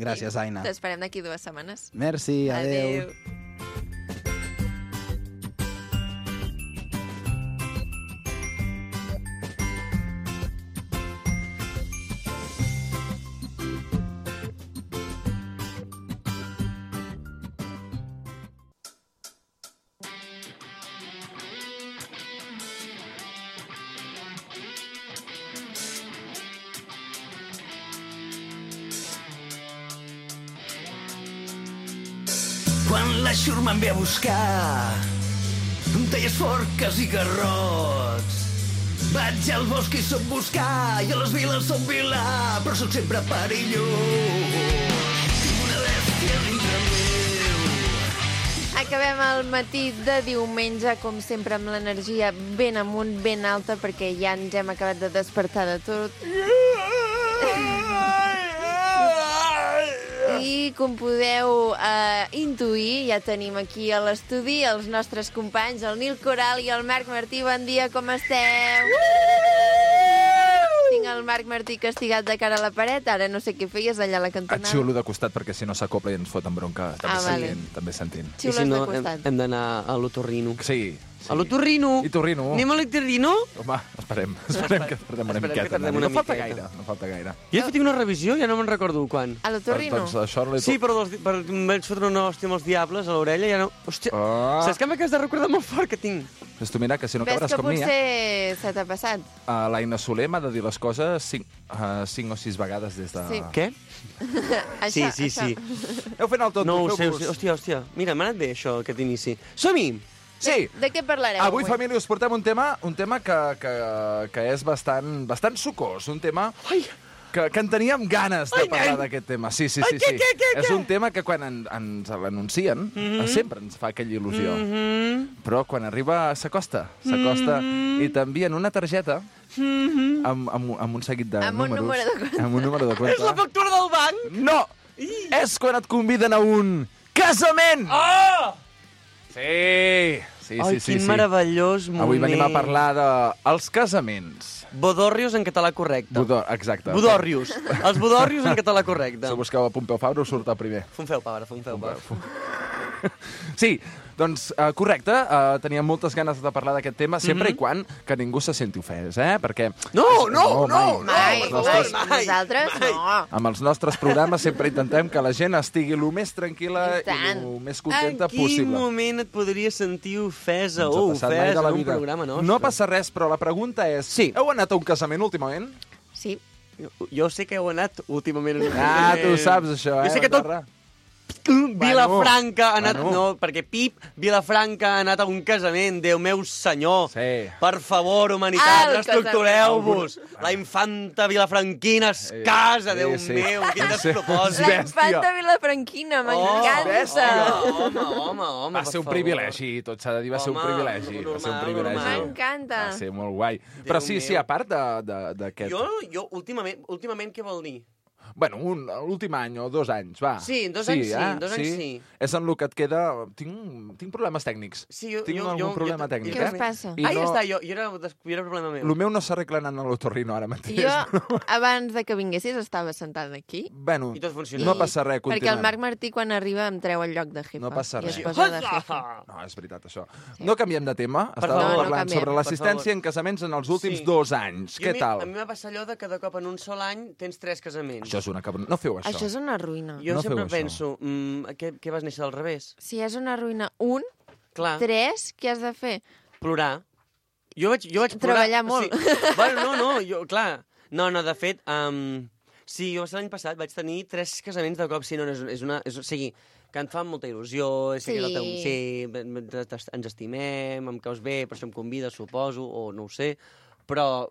Gràcies, Aina. T'esperem d'aquí dues setmanes. Merci, adeu. Adeu. Quan la xurma em ve a buscar, amb talles forques i garrots. Vaig al bosc i soc buscar, i a les viles soc vilà, però sóc sempre perillós. Tinc una bèstia dintre meu. Acabem el matí de diumenge, com sempre, amb l'energia ben amunt, ben alta, perquè ja ens hem acabat de despertar de tot. I, com podeu eh, intuir, ja tenim aquí a l'estudi els nostres companys, el Nil Coral i el Marc Martí. Bon dia, com esteu? Tinc el Marc Martí castigat de cara a la paret, ara no sé què feies allà a la cantonada. Et xiulo de costat perquè si no s'acopla i ens foten bronca. També Ah, vale. sentint, també sentint. Xiules I si no, de hem, costat. hem d'anar a l'otorrino. Sí. sí. A l'otorrino? I torrino. Anem a l'otorrino? Home, esperem. Esperem que tardem una Esperem que miqueta. tardem no una falta miqueta. gaire, no falta gaire. Jo he fet una revisió, ja no me'n recordo quan. A l'otorrino? Doncs això l'he... Sí, però dels, per, em vaig fotre una hòstia amb els diables a l'orella i ja no... Hòstia, Ah. saps que m'acabes de recordar molt fort que tinc? Doncs tu mira, que si no Ves acabaràs que com mi, eh? potser se t'ha passat. Uh, l'Aina Soler m'ha de dir les coses cinc, uh, cinc o sis vegades des de... Sí. Què? Això, sí, sí, això. sí. Heu fet el tot, No ho sé, feu-vos. hòstia, hòstia, hòstia. Mira, m'ha anat bé això, aquest inici. Som-hi! Sí. De què parlareu Avui, família, us portem un tema, un tema que, que, que és bastant, bastant sucós, un tema Ai! que, que en teníem ganes de Ai, parlar nen! d'aquest tema. Sí, sí, sí. Ai, què, sí. què, què, és què? un tema que quan en, ens l'anuncien Mhm. sempre ens fa aquella il·lusió. Mhm. Però quan arriba s'acosta, s'acosta Mhm. i t'envien una targeta Mhm. amb, amb, amb un seguit de Amb un números. número de compte. Amb un número de compte. És la factura del banc! No! És quan et conviden a un casament! Oh! Sí, sí, Ai, sí, sí. quin sí. meravellós moment. Avui venim a parlar dels casaments. Bodorrios en català correcte. Budor, exacte. Bodorrios. Els bodorrios en català correcte. Si busqueu a Pompeu Fabra us surt el primer. Fun feu, Pabra, fun feu, Pabra. Sí, doncs uh, correcte, uh, teníem moltes ganes de parlar d'aquest tema, sempre Mhm. i quan que ningú se senti ofès, eh? Perquè... No, no, no, mai. Mai, Els mai, nostres- mai, nosaltres mai. no. Amb els nostres programes sempre intentem que la gent estigui el més tranquil·la I i tant. el més contenta En quin possible. moment et podries sentir ofesa Ens ha o passat mai ofès de la en un vida. programa nostre? No passa res, però la pregunta és... Sí. Heu anat a un casament últimament? Sí. Jo, jo sé que heu anat últimament... en un Ah, tu casament. saps això, eh? Jo sé que tot Barra? Vilafranca ha anat... bueno. No, perquè Pip Vilafranca ha anat a un casament, Déu meu senyor. Sí. Per favor, Ah, humanitat, el reestructureu-vos. La infanta vilafranquina es Sí, casa, sí, Déu sí. meu, quin Sí. despropòsit. La bèstia. infanta Vilafranquina, Oh, m'encanta. bèstia. Home, home, home, Va per ser un favor. privilegi, tot s'ha de dir, va ser un Home, privilegi. Va ser un normal, privilegi. normal. M'encanta. Va ser molt guai. Però sí, sí, meu. a part de- de- d'aquest... Jo, jo últimament, últimament què vol dir? Bueno, un, l'últim any o dos anys, va. Sí, dos anys sí, eh? dos anys sí. És en el que et queda... Tinc, tinc problemes tècnics. Sí, jo, Tinc jo, algun jo, problema jo, tècnic, Què eh? us passa? I Ah, ja no- està, jo, jo era, des- jo era problema meu. El meu no s'arregla anant a l'otorrino ara mateix. Jo, abans de que vinguessis, estava sentada aquí. Bueno, I tot funciona. no passa res, Perquè continuem. el Marc Martí, quan arriba, em treu el lloc de jefa. No passa I res. es posa de jefa. No, és veritat, això. No canviem de tema. Per Estàvem favor. No, no parlant canviem. sobre l'assistència Per en casaments en els últims Sí. dos anys. Jo Què a mi- tal? A mi m'ha passat allò de que de cop en un sol any tens tres casaments. Això és una cabron... No feu això. Això és una ruïna. Jo No sempre feu això. penso, mm, què, què vas néixer al revés? Si és una ruïna, un, Clar, tres, què has de fer? plorar. Jo vaig, jo vaig plorar... Treballar molt. Sí. Bueno, no, no, jo, clar. No, no, de fet, um, sí, jo l'any passat vaig tenir tres casaments de cop. Sí, no, és, és una... És, o sigui, que em fan molta il·lusió, sé Sí. que és el teu... Sí, ens estimem, em caus bé, per això em convides, suposo, o no ho sé, però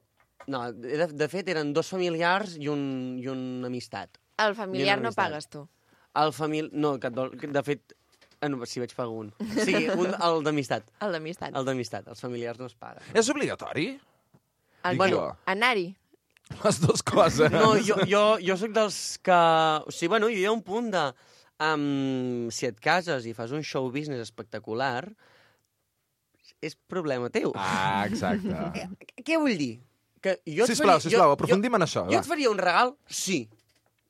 No, de, de fet, eren dos familiars i un, i una amistat. El familiar I una no amistat. pagues tu. El famili... No, que, de fet... Ah, no, sí, vaig pagar un. Sí, un, el d'amistat. El d'amistat. El d'amistat. Els familiars no es paguen. És obligatori? El, Dic bueno, jo. anar-hi. Les dues coses. No, jo, jo, jo sóc dels que... O sigui, bueno, hi ha un punt de... Um, si et cases i fas un show business espectacular, és problema teu. Ah, exacte. Eh, Què vull dir? Que jo et Sisplau, faria- sisplau, jo- aprofundim en això. Jo Va. et faria un regal? Sí.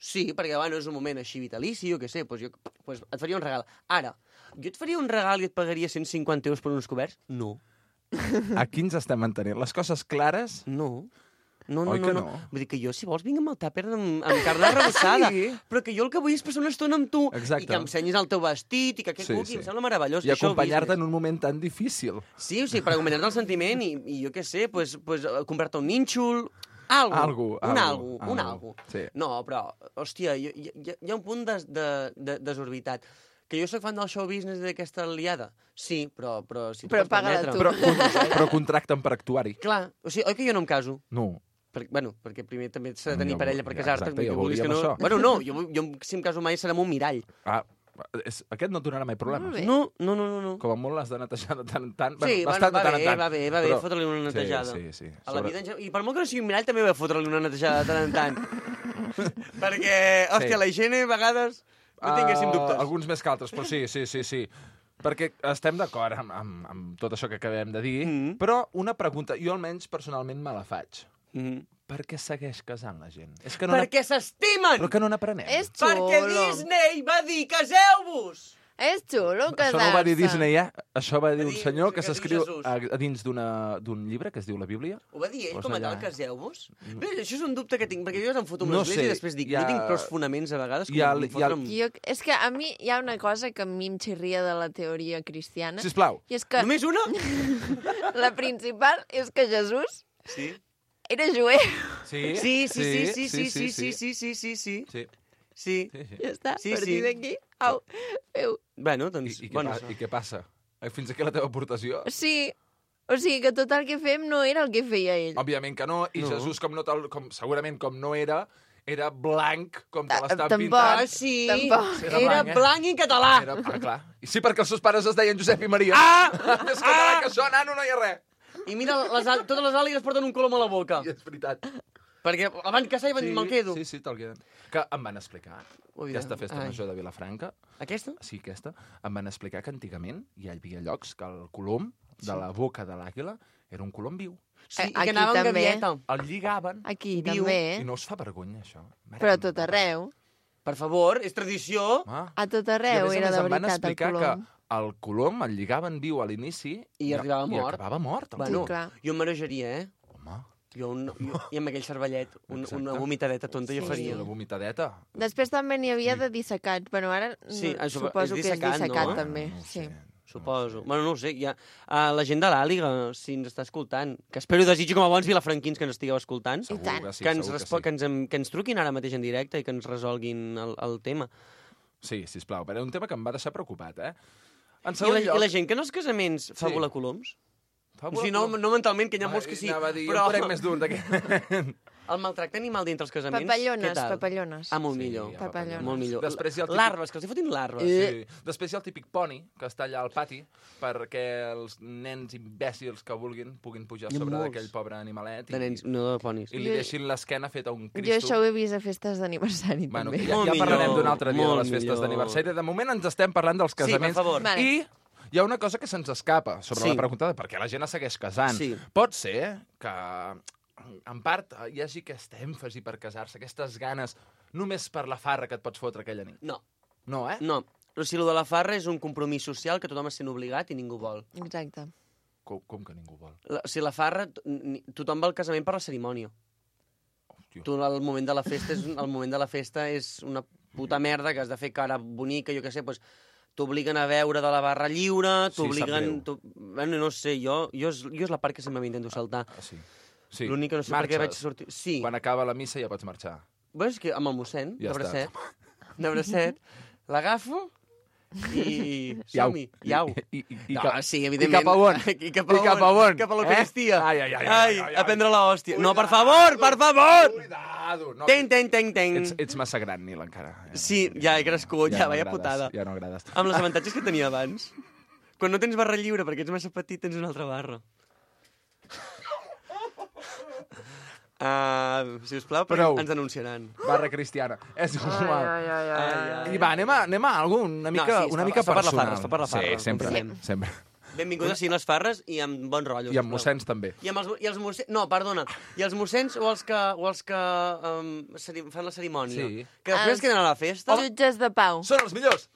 Sí, perquè, bueno, és un moment així vitalici, jo què sé, doncs jo doncs et faria un regal. Ara, jo et faria un regal i et pagaria cent cinquanta euros per uns coberts? No. Aquí ens estem mantenint. Les coses clares... No. No, no, Oi no, que no, no? Vull dir que jo, si vols, vinc amb el tàper amb, amb carn arrebossada. Sí. Però que jo el que vull és passar una estona amb tu Exacte. i que em ensenyis el teu vestit i que aquest Sí, cuqui sí. em sembla meravellós. I Això, acompanyar-te en business. un moment tan difícil. Sí, o sigui, per acompanyar-te el sentiment i, i jo què sé, pues, pues, eh, comprar-te un nínxol, algo, Algo, un algo, algo, un algo. algo. Sí. No, però, hòstia, hi, hi, hi ha un punt de, de, de, desorbitat. Que jo sóc fan del show business d'aquesta aliada? Sí, però, però si tu Però pots paga-la permetre... tu. Però, però contracten per actuar-hi. Clar, o sigui, oi que jo no em caso? No. Per, bueno, perquè primer també s'ha de No, tenir ja parella ho- per ja, casar-te. exacte, ja que vulguis que veuríem no... això. Bueno, no, jo, jo si em caso mai serà amb un mirall. Ah, és, aquest no et donarà mai problemes. Molt bé. No, no, no, no. no. Com a molt l'has de netejar de tant en tant. Sí, bueno, bastant va de tant bé, en tant. va bé, va bé, Però- fotre-li una netejada. Sí, sí, sí. A la vida, en gen- I per molt que no sigui un mirall, també va fotre-li una netejada de tant en tant. Perquè, hòstia, Sí. la higiene, a vegades, no tinguéssim dubtes. Uh, alguns més que altres, però sí, sí, sí, sí. Perquè estem d'acord amb, amb, amb tot això que acabem de dir, Mhm. però una pregunta, jo almenys personalment me la faig. Mm. Per què segueix casant la gent? És que no Perquè s'estimen! Però que no n'aprenem. És xulo. Perquè Disney va dir, caseu-vos! És xulo Això casar-se. no ho va dir Disney, eh? Això va dir Va un dir- senyor que que diu s'escriu Jesús. a, a dins d'una- d'un llibre que es diu la Bíblia. Ho va dir ell, Posa com a tal, allà. caseu-vos? Bé, això és un dubte que tinc, perquè jo em foto amb No l'església sé, i després dic, hi ha- no tinc prou fonaments a vegades com hi ha- com hi ha- fotre amb... Jo, és que a mi hi ha una cosa que a mi em xirria de la teoria cristiana. Sisplau. I és que Només una? la principal és que Jesús Sí. era jueu. Sí, Sí, sí, sí, sí, sí, sí, sí, sí, sí, sí, sí. Sí, Sí. sí, sí. Ja està, Sí, a partir sí. d'aquí, au, feu. Bueno, I, doncs... i, què, bueno, pa, I què passa? Eh, Fins aquí la teva aportació? Sí, o sigui que tot el que fem no era el que feia ell. Òbviament que no, i No. Jesús, com no tal, com, segurament com no era, era blanc, com te Ta- l'estan tampoc. pintant. Ah, sí. Tampoc. Era Era blanc, eh? blanc i català. Era, ah, clar. I sí, perquè els seus pares es deien Josep i Maria. Ah! Més català que això, nano, no hi ha res. I mira, les, al- totes les àligues porten un colom a la boca. I és veritat. Perquè el van caçar i van dir, me'l quedo. Sí, sí, te'l queden. Que em van explicar, Ui, aquesta festa ai. major de Vilafranca, Aquesta? sí, aquesta, em van explicar que antigament hi havia llocs que el colom de la boca de l'àguila era un colom viu. Sí, Eh, i que aquí anava amb també. gavieta. El lligaven Aquí Viu. també, i eh? no us fa vergonya, això. Mare Però a que tot em- arreu. Per favor, és tradició. Ah. A tot I a arreu més a era més de em van veritat el explicar colom. que el colom el lligaven viu a l'inici I arribava i mort. acabava mort. el Bueno, Sí, clar. jo em marejaria, eh? Home, Jo, un, jo i amb aquell cervellet, un, Exacte. una vomitadeta tonta jo Sí. faria. una vomitadeta. Després també n'hi havia de dissecats. Bueno, ara Sí, no, això suposo és que és dissecat, dissecat no? també. No ho Sí. sé. Suposo. Bueno, no ho sé, hi ha... Uh, la gent de l'Àliga, si ens està escoltant, que espero i desitjo com a bons vilafranquins que ens estigueu escoltant, Segur tant. que sí, que, ens segur respo... que que, ens, em- que ens truquin ara mateix en directe i que ens resolguin el, el tema. Sí, sisplau, però és un tema que em va deixar preocupat, eh? En I segon la, lloc... I la gent que en els casaments fa Sí. volar coloms? Fa O sigui, no, no mentalment, que hi ha molts que sí, Anava a dir, però jo en conec més d'un d'aquest. el maltracte animal dintre els casaments, què Papallones, tal? papallones. Ah, molt Sí, millor. hi ha Papallones. Molt millor. Després hi ha el típic- Larves, que els hi fotin larves. Sí. Després hi ha el típic poni, que està allà al pati, perquè els nens imbècils que vulguin puguin pujar Hi ha sobre molts. d'aquell pobre animalet i, De nens, no de ponis. i li Jo- deixin l'esquena feta un Jo cristo. això ho he vist a festes d'aniversari, Bueno, també. ja, Molt ja parlarem millor, d'un altre dia de molt les festes millor. d'aniversari. De moment ens estem parlant dels Sí, per casaments. favor. Vale. I hi ha una cosa que se'ns escapa sobre Sí. la pregunta de per què la gent es segueix casant. Sí. Pot ser que, en part, hi hagi aquest èmfasi per casar-se, aquestes ganes, només per la farra que et pots fotre aquella nit. No, No, eh? no. O sigui, el de la farra és un compromís social que tothom es sent obligat i ningú vol. Exacte. Com, com que ningú vol? La, o sigui, la farra, t- ni- tothom va al casament per la cerimònia. Hòstia. Tu, el moment de la festa és, el moment de la festa és una puta merda que has de fer cara bonica, jo què sé, doncs t'obliguen a beure de la barra lliure, Sí, sap t'obliguen... greu. t'o- bueno, no sé, jo, jo, és, jo és la part que sempre m'intento saltar. Ah, sí. sí. L'únic que no sé per què vaig Marxes. sortir... Sí, Quan acaba la missa ja pots marxar. bueno, és que amb el mossèn, Ja de està. bracet, de bracet, l'agafo I som-hi, iau. I, i, i, No, cap, sí, I evidentment. cap a on? I cap a I cap a on? on? Cap a Eh? l'Eucaristia. Ai, ai, ai, ai, Ai, ai, ai. a prendre l'hòstia. No, per favor, per favor! Cuidado! No, Ten, ten, ten, ten. ets, ets massa gran, Nil, encara. Ja, Sí, ja he crescut, ja, no vaya agrades, putada. Ja no agrades. Amb els avantatges que tenia abans. Quan no tens barra lliure perquè ets massa petit, tens una altra barra. Uh, si us plau, Prou. ens denunciaran. Barra cristiana. És igual. Ai, ai, ai, ai. I va, anem a, anem a algú una mica, No, sí, es una fa- mica es fa per la personal. farra, es fa per la farra, Sí, sempre, confiem. sempre. Benvinguts a les farres i amb bon rotllo. I amb sisplau. mossens també. I amb els, i els mossens... No, perdona. I els mossens o els que, o els que um, ceri- fan la cerimònia? Sí. Que després Els queden a la festa? Jutges de pau. Són els millors!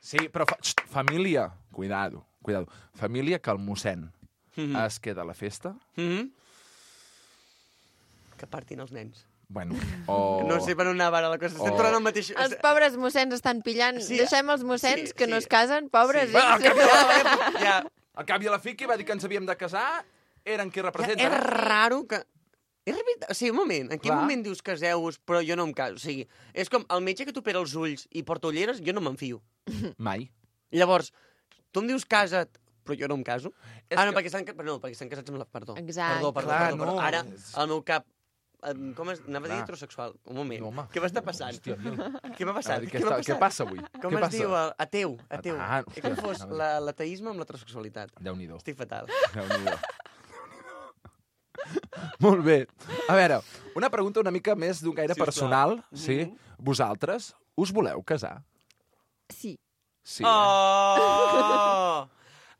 Sí, però fa... Xt, família, cuidado, cuidado. Família que el mossèn Mhm. es queda a la festa, Mhm. Que partin els nens. bueno, o... No sé per on anava ara la cosa. Estem O- tornant al mateix... Els pobres mossens estan pillant. Sí. Deixem els mossens Sí, que sí. no es casen, pobres. Sí. Sí. Bueno, al cap i a la, Ja, al cap i a la fi, qui va dir que ens havíem de casar eren qui ja, representen. és raro que... És veritat, o sigui, un moment, en quin Clar. moment dius caseu-vos, però jo no em caso? O sigui, és com el metge que t'opera els ulls i porta ulleres, jo no me'n fio. Mai. Llavors, tu em dius casa't, però jo no em caso? És Ah, no, que- perquè estan, ca- no, perquè estan casats amb la... Perdó. Exacte. Perdó, perdó, Clar, perdó, perdó. no, Ara, és- al meu cap... em, Com es... Anava a dir Clar. heterosexual. Un moment. No, home. Què m'està passant? Hòstia, Nil. Què m'ha passat? Què, Què m'ha està, què passat? passa avui? Com què es passa? diu? el- Ateu, ateu. Ah, He confós no. la- l'ateisme amb l'heterosexualitat. Déu-n'hi-do. Estic fatal. Déu-n'hi-do. Molt bé. A veure, una pregunta una mica més d'un gaire Sisplau. personal. Sí. Mhm. Vosaltres us voleu casar? Sí. Sí. Oh!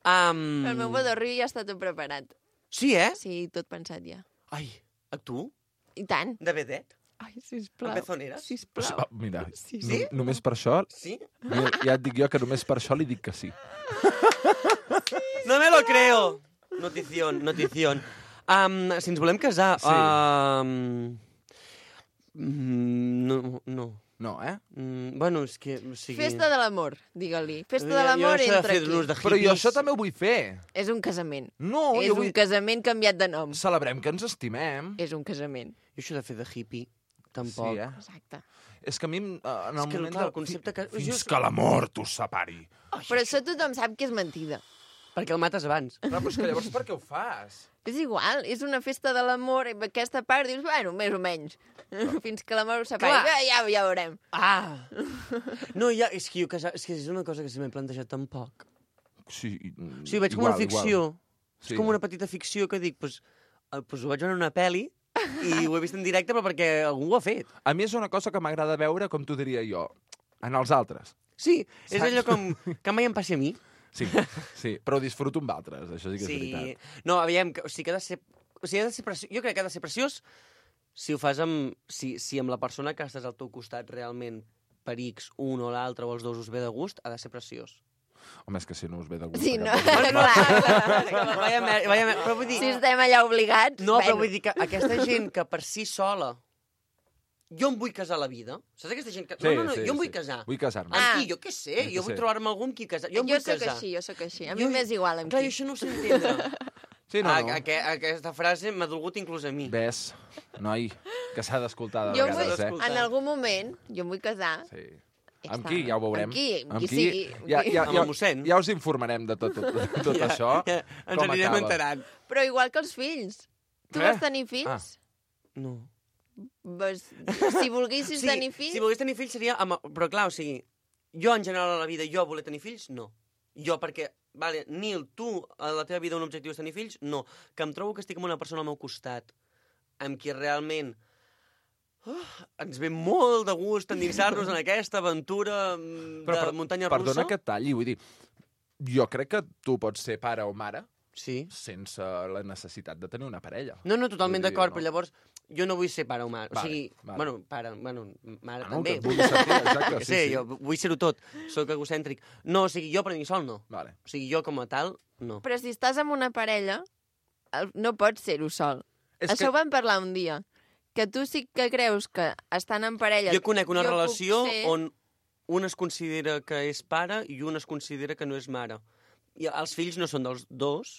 Um... El meu bodorri ja està tot preparat. Sí, eh? Sí, tot pensat ja. Ai, a tu? I tant. De vedet? Ai, sisplau. A pezoneres? Sí, Sisplau. ah, mira, Sí, no, sí? només per això... Sí? Ja, ja et dic jo que només per això li dic que sí. No me lo creo. Notición, notición. Um, si ens volem casar... Sí. Um, mm, no, no. No, eh? Mm, bueno, és que... O sigui... Festa de l'amor, digue-li. Festa Jo- de l'amor jo això de entre fer aquí. l'ús de Però jo hippies- això també ho vull fer. És un casament. No, és jo un vull... casament canviat de nom. Celebrem que ens estimem. És un casament. Jo això de fer de hippie, tampoc. Sí, eh? Exacte. És que a mi, eh, en el És que, moment clar, de... el concepte que- Fins jo- que la mort us separi. Però això tothom sap que és mentida. Perquè el mates abans. Clar, però és que llavors per què ho fas? És igual, és una festa de l'amor, i aquesta part dius, bueno, més o menys. Fins que l'amor ho separi. Clar. Ja, ja, ja veurem. Ah! No, ja, és que jo casar... És que és una cosa que se m'he plantejat tampoc. Sí, O sigui, veig com una ficció. Sí. És com una petita ficció que dic, pues, eh, pues ho vaig veure en una pel·li i ho he vist en directe, però perquè algú ho ha fet. A mi és una cosa que m'agrada veure, com t'ho diria jo, en els altres. Sí, és Saps? allò com que mai em passi a mi. Sí, sí, però ho disfruto amb altres, això sí que és veritat. No, aviam, que, o sigui, que ha de ser... O sigui, ha de ser preciós, jo crec que ha de ser preciós si ho fas amb... Si, si amb la persona que estàs al teu costat realment per X, un o l'altre o els dos us ve de gust, ha de ser preciós. Home, és que si no us ve de gust... Sí, no, aquest- clar. Vaya, mer- vaya, mer- però vull dir... Si estem allà obligats... No, però bueno. vull dir que aquesta gent que per si sola... Jo em vull casar a la vida. Saps aquesta gent que... Sí, no, no, no, sí, jo em vull sí. casar. Vull casar-me. Amb Ah. qui? Jo què sé. Jo què Jo vull sé. trobar-me algú amb qui casar. Jo em Jo vull sóc casar. així, jo sóc així. A Jo- mi m'és igual amb Clar, qui. jo això no ho sé entendre. Sí, no, Ah, no. aqu aquesta frase m'ha dolgut inclús a mi. Ves, noi, que s'ha d'escoltar de Jo em vull, vegades, eh? en algun moment, jo em vull casar. Sí. Ja Amb està. qui? Ja ho veurem. Amb qui? Amb qui sigui. Ja, ja, Amb ja, el mossèn. ja us informarem de tot, tot, tot Ja, això. ja, ens com anirem acaba. enterant. Però igual que els fills. Tu Eh? vols tenir fills? Ah. No. Vas... Si volguessis Sí, tenir fills... si volgués tenir fills seria... Amb... Però clar, o sigui, jo en general a la vida, jo voler tenir fills, no. Jo perquè, vale, Nil, tu a la teva vida un objectiu és tenir fills? No. Que em trobo que estic amb una persona al meu costat, amb qui realment uh, ens ve molt de gust endinsar-nos en aquesta aventura mm, de Però, per, muntanya russa. Perdona que et talli, vull dir, jo crec que tu pots ser pare o mare Sí. sense la necessitat de tenir una parella. No, no, totalment Vull dir, d'acord, no? però llavors jo no vull ser pare o mare. Vale, o sigui, vale. bueno, pare, bueno, mare Ah, no, també. que et vulguis sentir, exacte, Que sí, sé, sí. jo vull ser-ho tot. Soc egocèntric. No, o sigui, jo per mi sol no. Vale. O sigui, jo com a tal, no. Però si estàs amb una parella, el- no pots ser-ho sol. És Això que... ho vam parlar un dia. Que tu sí que creus que estan en parella... Jo conec una jo puc relació ser- on un es considera que és pare i un es considera que no és mare. I els fills no són dels dos,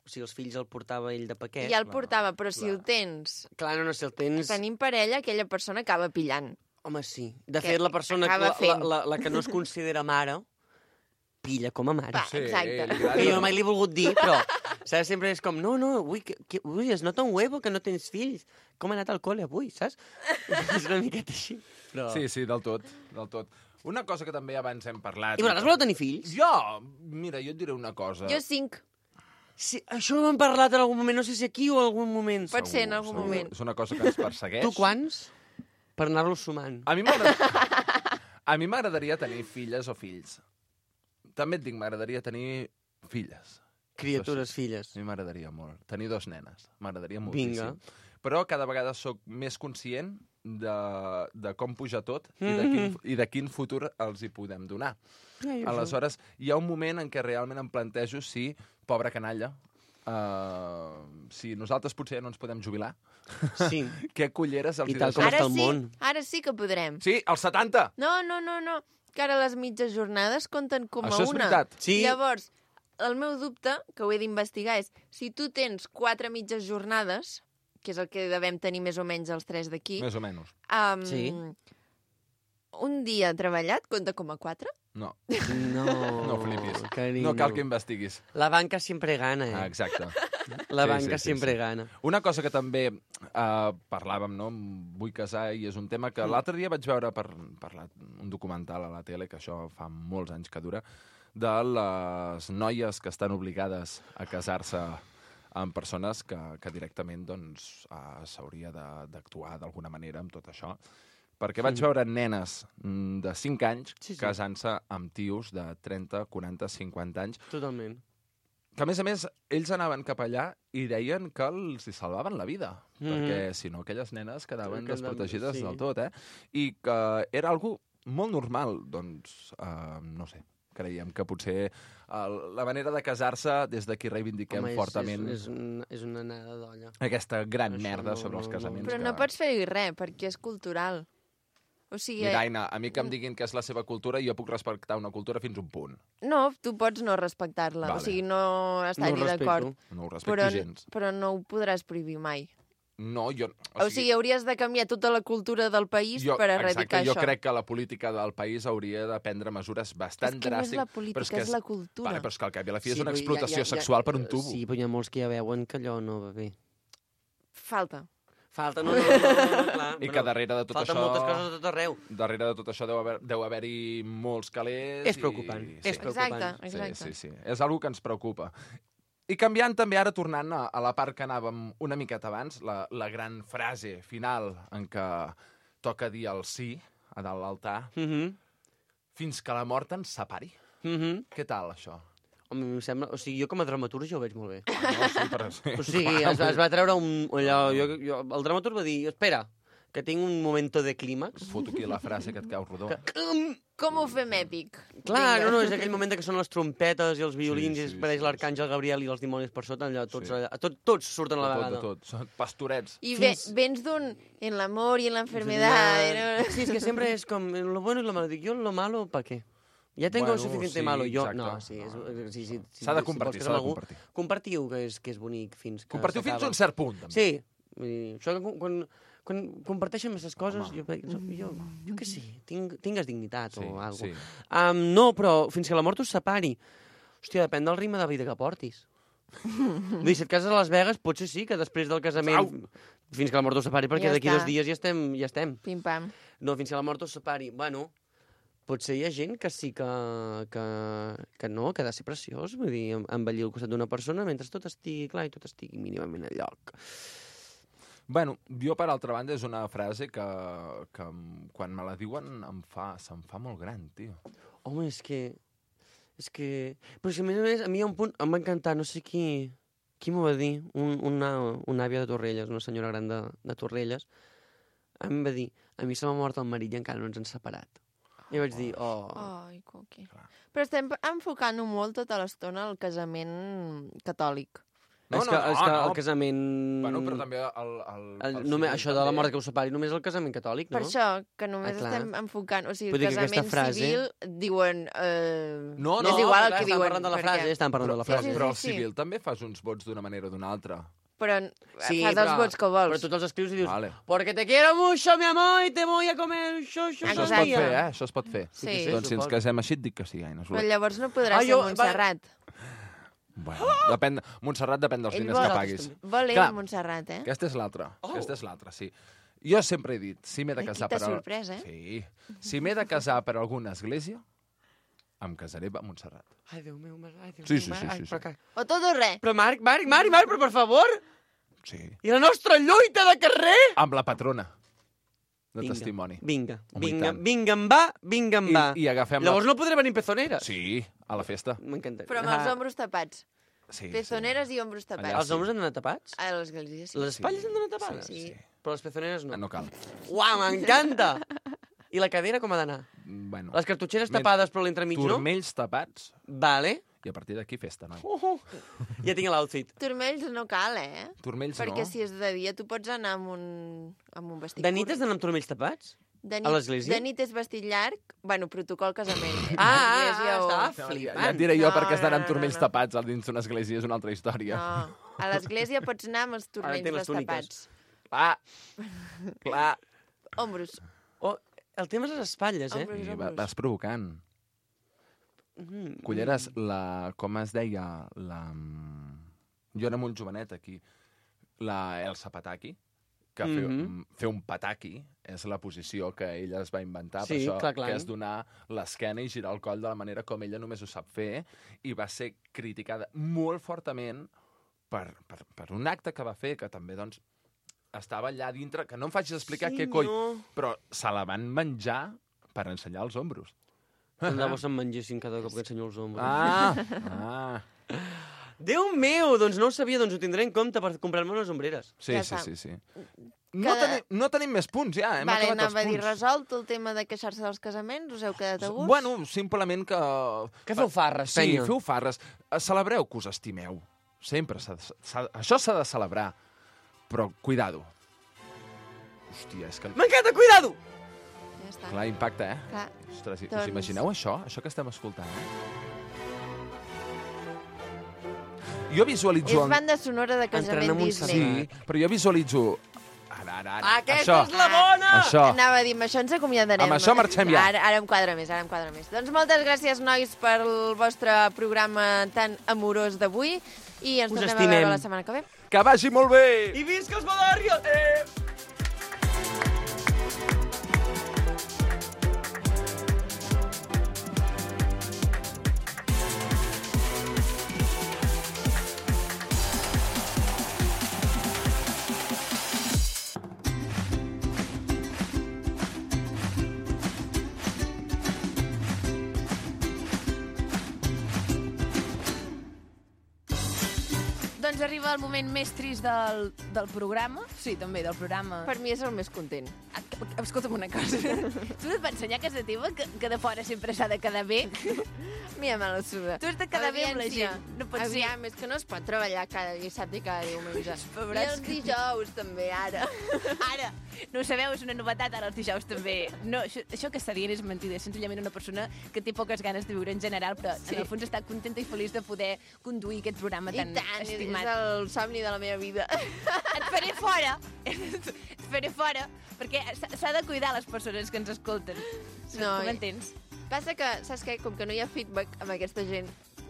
o sigui, els fills el portava ell de paquet. Ja el portava, però si clar. ho tens... Clar, no, no, si el tens... Tenim parella, aquella persona acaba pillant. Home, sí. De Que fet, la persona, acaba la, la, fent. la, la que no es considera mare, pilla com a mare. Va, Sí, exacte. li agrada. Que jo mai l'he volgut dir, però saps? Sempre és com, no, no, ui, que, que, ui, es nota un huevo que no tens fills. Com ha anat al col·le avui, saps? És una miqueta així. Però... Sí, sí, del tot, del tot. Una cosa que també abans hem parlat... I vosaltres voleu tenir fills? Jo, mira, jo et diré una cosa. Jo cinc. Sí, això ho hem parlat en algun moment, no sé si aquí o en algun moment. Pot ser en algun Segur. moment. És una cosa que ens persegueix. Tu quants? Per anar-los sumant. A mi m'agrada- a mi m'agradaria tenir filles o fills. També et dic, m'agradaria tenir filles. Criatures, Això sí. filles. A mi m'agradaria molt. Tenir dos nenes. M'agradaria Vinga. moltíssim. Però cada vegada sóc més conscient de, de com puja tot i, de Mhm. quin, i de quin futur els hi podem donar. Ja, jo Aleshores, hi ha un moment en què realment em plantejo si, pobra canalla, uh, si nosaltres potser no ens podem jubilar, Sí. què culleres els I hi tal deixem? com Ara està el sí, món. ara sí que podrem. Sí, als setanta! No, no, no, no. Que ara les mitges jornades compten com Això a és una. veritat. Sí. Llavors, el meu dubte, que ho he d'investigar, és si tu tens quatre mitges jornades, que és el que devem tenir més o menys els tres d'aquí, Més o menys. um, Sí. un dia treballat compta com a quatre? No, No, no flipis. carinyo. No cal que investiguis. La banca sempre gana, eh? Ah, exacte. La Sí, banca sí, sí, sempre sí. gana. Una cosa que també uh, parlàvem, no? Em vull casar i és un tema que l'altre dia vaig veure per, per la, un documental a la tele, que això fa molts anys que dura, de les noies que estan obligades a casar-se amb persones que, que directament doncs, uh, s'hauria de- d'actuar d'alguna manera amb tot això. Perquè vaig veure nenes mm, de cinc anys Sí, sí. casant-se amb tios de trenta, quaranta, cinquanta anys, Totalment. que a més a més ells anaven cap allà i deien que els hi salvaven la vida, Mhm. perquè si no aquelles nenes quedaven Quedaven- desprotegides sí. del tot, eh? I que era algo molt normal, doncs, uh, no sé, creiem que potser uh, la manera de casar-se des d'aquí reivindiquem Home, és, fortament És, és, un, és una anada d'olla. aquesta gran Això merda no- sobre els no- casaments. Però que... no pots fer-hi res, perquè és cultural. O sigui, Mira, Aina, a mi que em diguin que és la seva cultura, jo puc respectar una cultura fins a un punt. no, tu pots no respectar-la. Vale. O sigui, no estar-hi No ho respecto. d'acord. No ho respecto Però, gens. però no ho podràs prohibir mai. No, jo... O sigui, hauries de canviar tota la cultura del país jo, per erradicar exacte, jo això. crec que la política del país hauria de prendre mesures bastant És que no és dràstiques. la política, però és, que és la cultura. Vale, però és que al cap i a la fi és Sí, una però hi ha- explotació hi ha- hi ha- sexual per un tubo. Sí, però hi ha molts que ja veuen que allò no va bé. Falta. Falta, no, no, no, no, no clar. I que darrere de tot falten això... moltes coses a tot arreu. Darrere de tot això deu haver- deu haver-hi molts calés... És preocupant, I... és preocupant. Exacte, exacte. Sí, sí, sí. És una que ens preocupa. I canviant també, ara tornant a, a la part que anàvem una miqueta abans, la, la gran frase final en què toca dir el sí a dalt l'altar, Mm -hmm. fins que la mort ens separi. Mm -hmm. Què tal, això? Home, em sembla... O sigui, jo com a dramaturg jo ho veig molt bé. Ah, no, sí, però sí. O sigui, es, va- es va treure un... Allò, jo, jo, el dramaturg va dir, espera, que tinc un momento de clímax. Foto aquí la frase que et cau rodó. Com ho fem èpic? Clar, Vinga. no, no, és aquell moment que són les trompetes i els violins Sí, i sí, es apareix sí, l'arcàngel Gabriel i els dimonis per sota, allò, tots, Sí. allà, tot, tots surten a la De tot, vegada. de tot. Són pastorets. I ve, Fins- vens d'un en l'amor i en l'enfermedad. Sí, és que sempre és com lo bueno y lo malo. Dic, jo lo malo, ¿pa qué? Ja tengo Bueno, suficiente sí, malo. Jo, exacte. no, sí, és, sí, sí, sí, S'ha de si compartir, vols s'ha de quedar amb algú, compartir. Compartiu, que és, que és bonic fins que Compartiu fins a s'acaba. un cert punt, també. Sí, vull dir, això que quan, quan comparteixen aquestes coses, jo, jo, jo, jo què sé, tinc, tingues dignitat Sí, o alguna sí. cosa. Um, no, però fins que la mort us separi. Hòstia, depèn del ritme de vida que portis. Vull dir, si et cases a Las Vegas, potser sí que després del casament... Au! Fins que la mort us separi, perquè Ja d'aquí està. dos dies ja estem, ja estem. Pim-pam. No, fins que la mort us separi. Bueno, potser hi ha gent que sí que, que, que no, que ha de ser preciós. Vull dir, em- envellir al costat d'una persona mentre tot estigui clar i tot estigui mínimament a lloc. Bueno, jo, per altra banda, és una frase que, que em- quan me la diuen em fa, se'm fa molt gran, tio. Home, és que... És que... Però si a més a més, a mi hi ha un punt... Em va encantar, no sé qui... Qui m'ho va dir? Un, una, una àvia de Torrelles, una senyora gran de, de Torrelles. Em va dir, a mi se m'ha mort el marit i encara no ens han separat. I vaig dir, oh... Ai, coqui. Però estem enfocant-ho molt tota l'estona al casament catòlic. No, és que, és que el casament... Bueno, però també el... el, El, el només, civil això de la també. mort que us separi, només el casament catòlic, no? Per això, que només Ah, clar. estem enfocant... O sigui, Vull el dir que aquesta casament frase- civil diuen... Eh, No, és no, igual clar, el que estan diuen. parlant de la perquè- frase, estan parlant de la Però, frase. sí, però el sí. civil també fas uns vots d'una manera o d'una altra. però Sí, fas els però- vots que vols. Però tu te'ls escrius i dius, Vale. porque te quiero mucho, mi amor, y te voy a comer això, això, Això es Exacte. pot fer, eh? Això es pot fer. Sí. Sí, Doncs si ens suposo. casem així et dic que sí, Aina. Però llavors no podrà Ah, ser jo- Montserrat. Bueno, depèn... Montserrat depèn dels Ell diners vol- que paguis. Vol ell Clar. Montserrat, eh? Aquesta és l'altra. Oh. Aquesta és l'altra, sí. Jo sempre he dit, si m'he de Ai, casar quina per... sorpresa, eh? Sí. Si m'he de casar per alguna església, em casaré a Montserrat. Ai, Déu meu, ai, Déu Sí, meu, sí, sí, ai, sí, però sí. que- O tot o res. Però Marc, Marc, Marc, Marc, però per favor! Sí. I la nostra lluita de carrer? Amb la patrona de Vinga, testimoni. Vinga, Home, i vinga, tant. vinga, em va, vinga, em I, va. I agafem Llavors la... no podré venir en pezoneres. Sí, a la festa. M'encanta. Però amb els ombros tapats. Sí, Pezoneres i ombros tapats. Allà Els homes han d'anar tapats? A l'església, sí. Les espatlles han d'anar tapades? Sí. Però les pezoneres no. Ah, no cal. Uau, m'encanta! I la cadera com ha d'anar? Bueno, Les cartutxeres Men- tapades però l'entremig no? turmells tapats Vale. i a partir d'aquí festa, noi. Uh, uh. Ja tinc l'outfit. Turmells no cal, eh? Turmells Perquè no. si és de dia tu pots anar amb un, amb un vestit De nit curt. has d'anar amb turmells tapats? De a l'església? De nit és vestit llarg, bueno, protocol casament. Ah, ah, L'església ah, o- estava Ja, flipant. ja et diré jo No, perquè has d'anar no, amb no, turmells no. tapats al dins d'una església, és una altra història. No, a l'església pots anar amb els turmells entenc les destapats. Clar, clar. Ombros. Oh, el tema és les espatlles, eh? Ombros, I va, ombros. vas provocant. Mm, Culleres, la, com es deia, la... Jo era molt jovenet aquí. La Elsa Pataki, que fer, Mhm. fer un pataki és la posició que ella es va inventar, Sí, per això, clar, clar. que és donar l'esquena i girar el coll de la manera com ella només ho sap fer, i va ser criticada molt fortament per, per, per un acte que va fer, que també, doncs, estava allà dintre, que no em facis explicar Sí, què coi, no. però se la van menjar per ensenyar els ombros. Tant de bo se'n mengessin cada cop que ensenyo els ombros. Ah, ah. Déu meu, doncs no ho sabia, doncs ho tindré en compte per comprar-me unes ombreres. Sí, Ja sí, està. sí, sí. No, Cada- tenim, no tenim més punts, ja. Hem Vale, acabat els anava a dir, punts. resolt el tema de queixar-se dels casaments? Us heu quedat a gust? Bueno, simplement que... Que feu farres, Sí, penya. feu farres. Eh, Celebreu que us estimeu. Sempre. s'ha de- s'ha- Això s'ha de celebrar. Però, cuidado. Hòstia, és que... M'encanta, cuidado! Ja està. Clar, impacta, eh? Clar. Ostres, us Doncs- imagineu això? Això que estem escoltant, eh? Jo visualitzo... És banda sonora de casament Entrenem un Disney. Sí, però jo visualitzo... Ara, ara, ara. Aquesta això, és la bona! Això. Anava a dir, amb això ens acomiadarem. Amb això marxem ja. Ara, ara em quadra més, ara em quadra més. Doncs moltes gràcies, nois, pel vostre programa tan amorós d'avui i ens Us tornem estimem. a veure la setmana que ve. Que vagi molt bé! I visca els Badàrios! Eh! Doncs arriba el moment més trist del, del programa. Sí, també, del programa. Per mi és el més content. Ah, escolta'm una cosa. Tu no et vas ensenyar a casa teva que, que de fora sempre s'ha de quedar bé? Mira, me la suda. Tu has de quedar bé amb la Audiència. gent. No pot Aviam, és que no es pot treballar cada dissabte i cada diumenge. I Pebrats els que- dijous també, ara. Ara, no ho sabeu, és una novetat ara els dijous també. No, això, això que està dient és mentida. És senzillament una persona que té poques ganes de viure en general, però sí. en el fons està contenta i feliç de poder conduir aquest programa I tan tant, estimat. és el somni de la meva vida. Et faré fora. Et faré fora, perquè s'ha s'ha de cuidar les persones que ens escolten. No, No, i- m'entens? Passa que, saps què? Com que no hi ha feedback amb aquesta gent,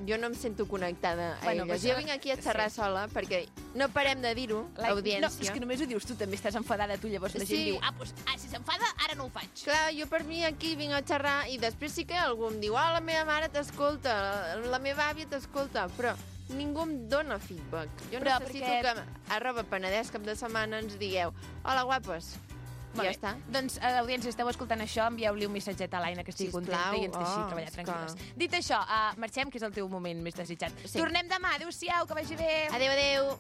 jo no em sento connectada a Bueno, elles. però Jo això- vinc aquí a xerrar sí. sola perquè no parem de dir-ho, Like, audiència. No, és que només ho dius tu, també estàs enfadada tu, llavors la gent Sí. diu, ah, doncs, ah, si s'enfada, ara no ho faig. Clar, jo per mi aquí vinc a xerrar i després sí que algú em diu ah, la meva mare t'escolta, la, la meva àvia t'escolta, però ningú em dona feedback. Jo Però necessito perquè- que arroba Penedès cap de setmana ens digueu hola, guapes. I Molt ja bé. està. Doncs, a l'audiència, esteu escoltant això, envieu-li un missatget a l'Aina, que estigui Sisplau. contenta i ens deixi Oh, treballar és que- tranquil·les. Dit això, uh, marxem, que és el teu moment més desitjat. Sí. Tornem demà. Adéu-siau, que vagi bé. Adéu, adéu.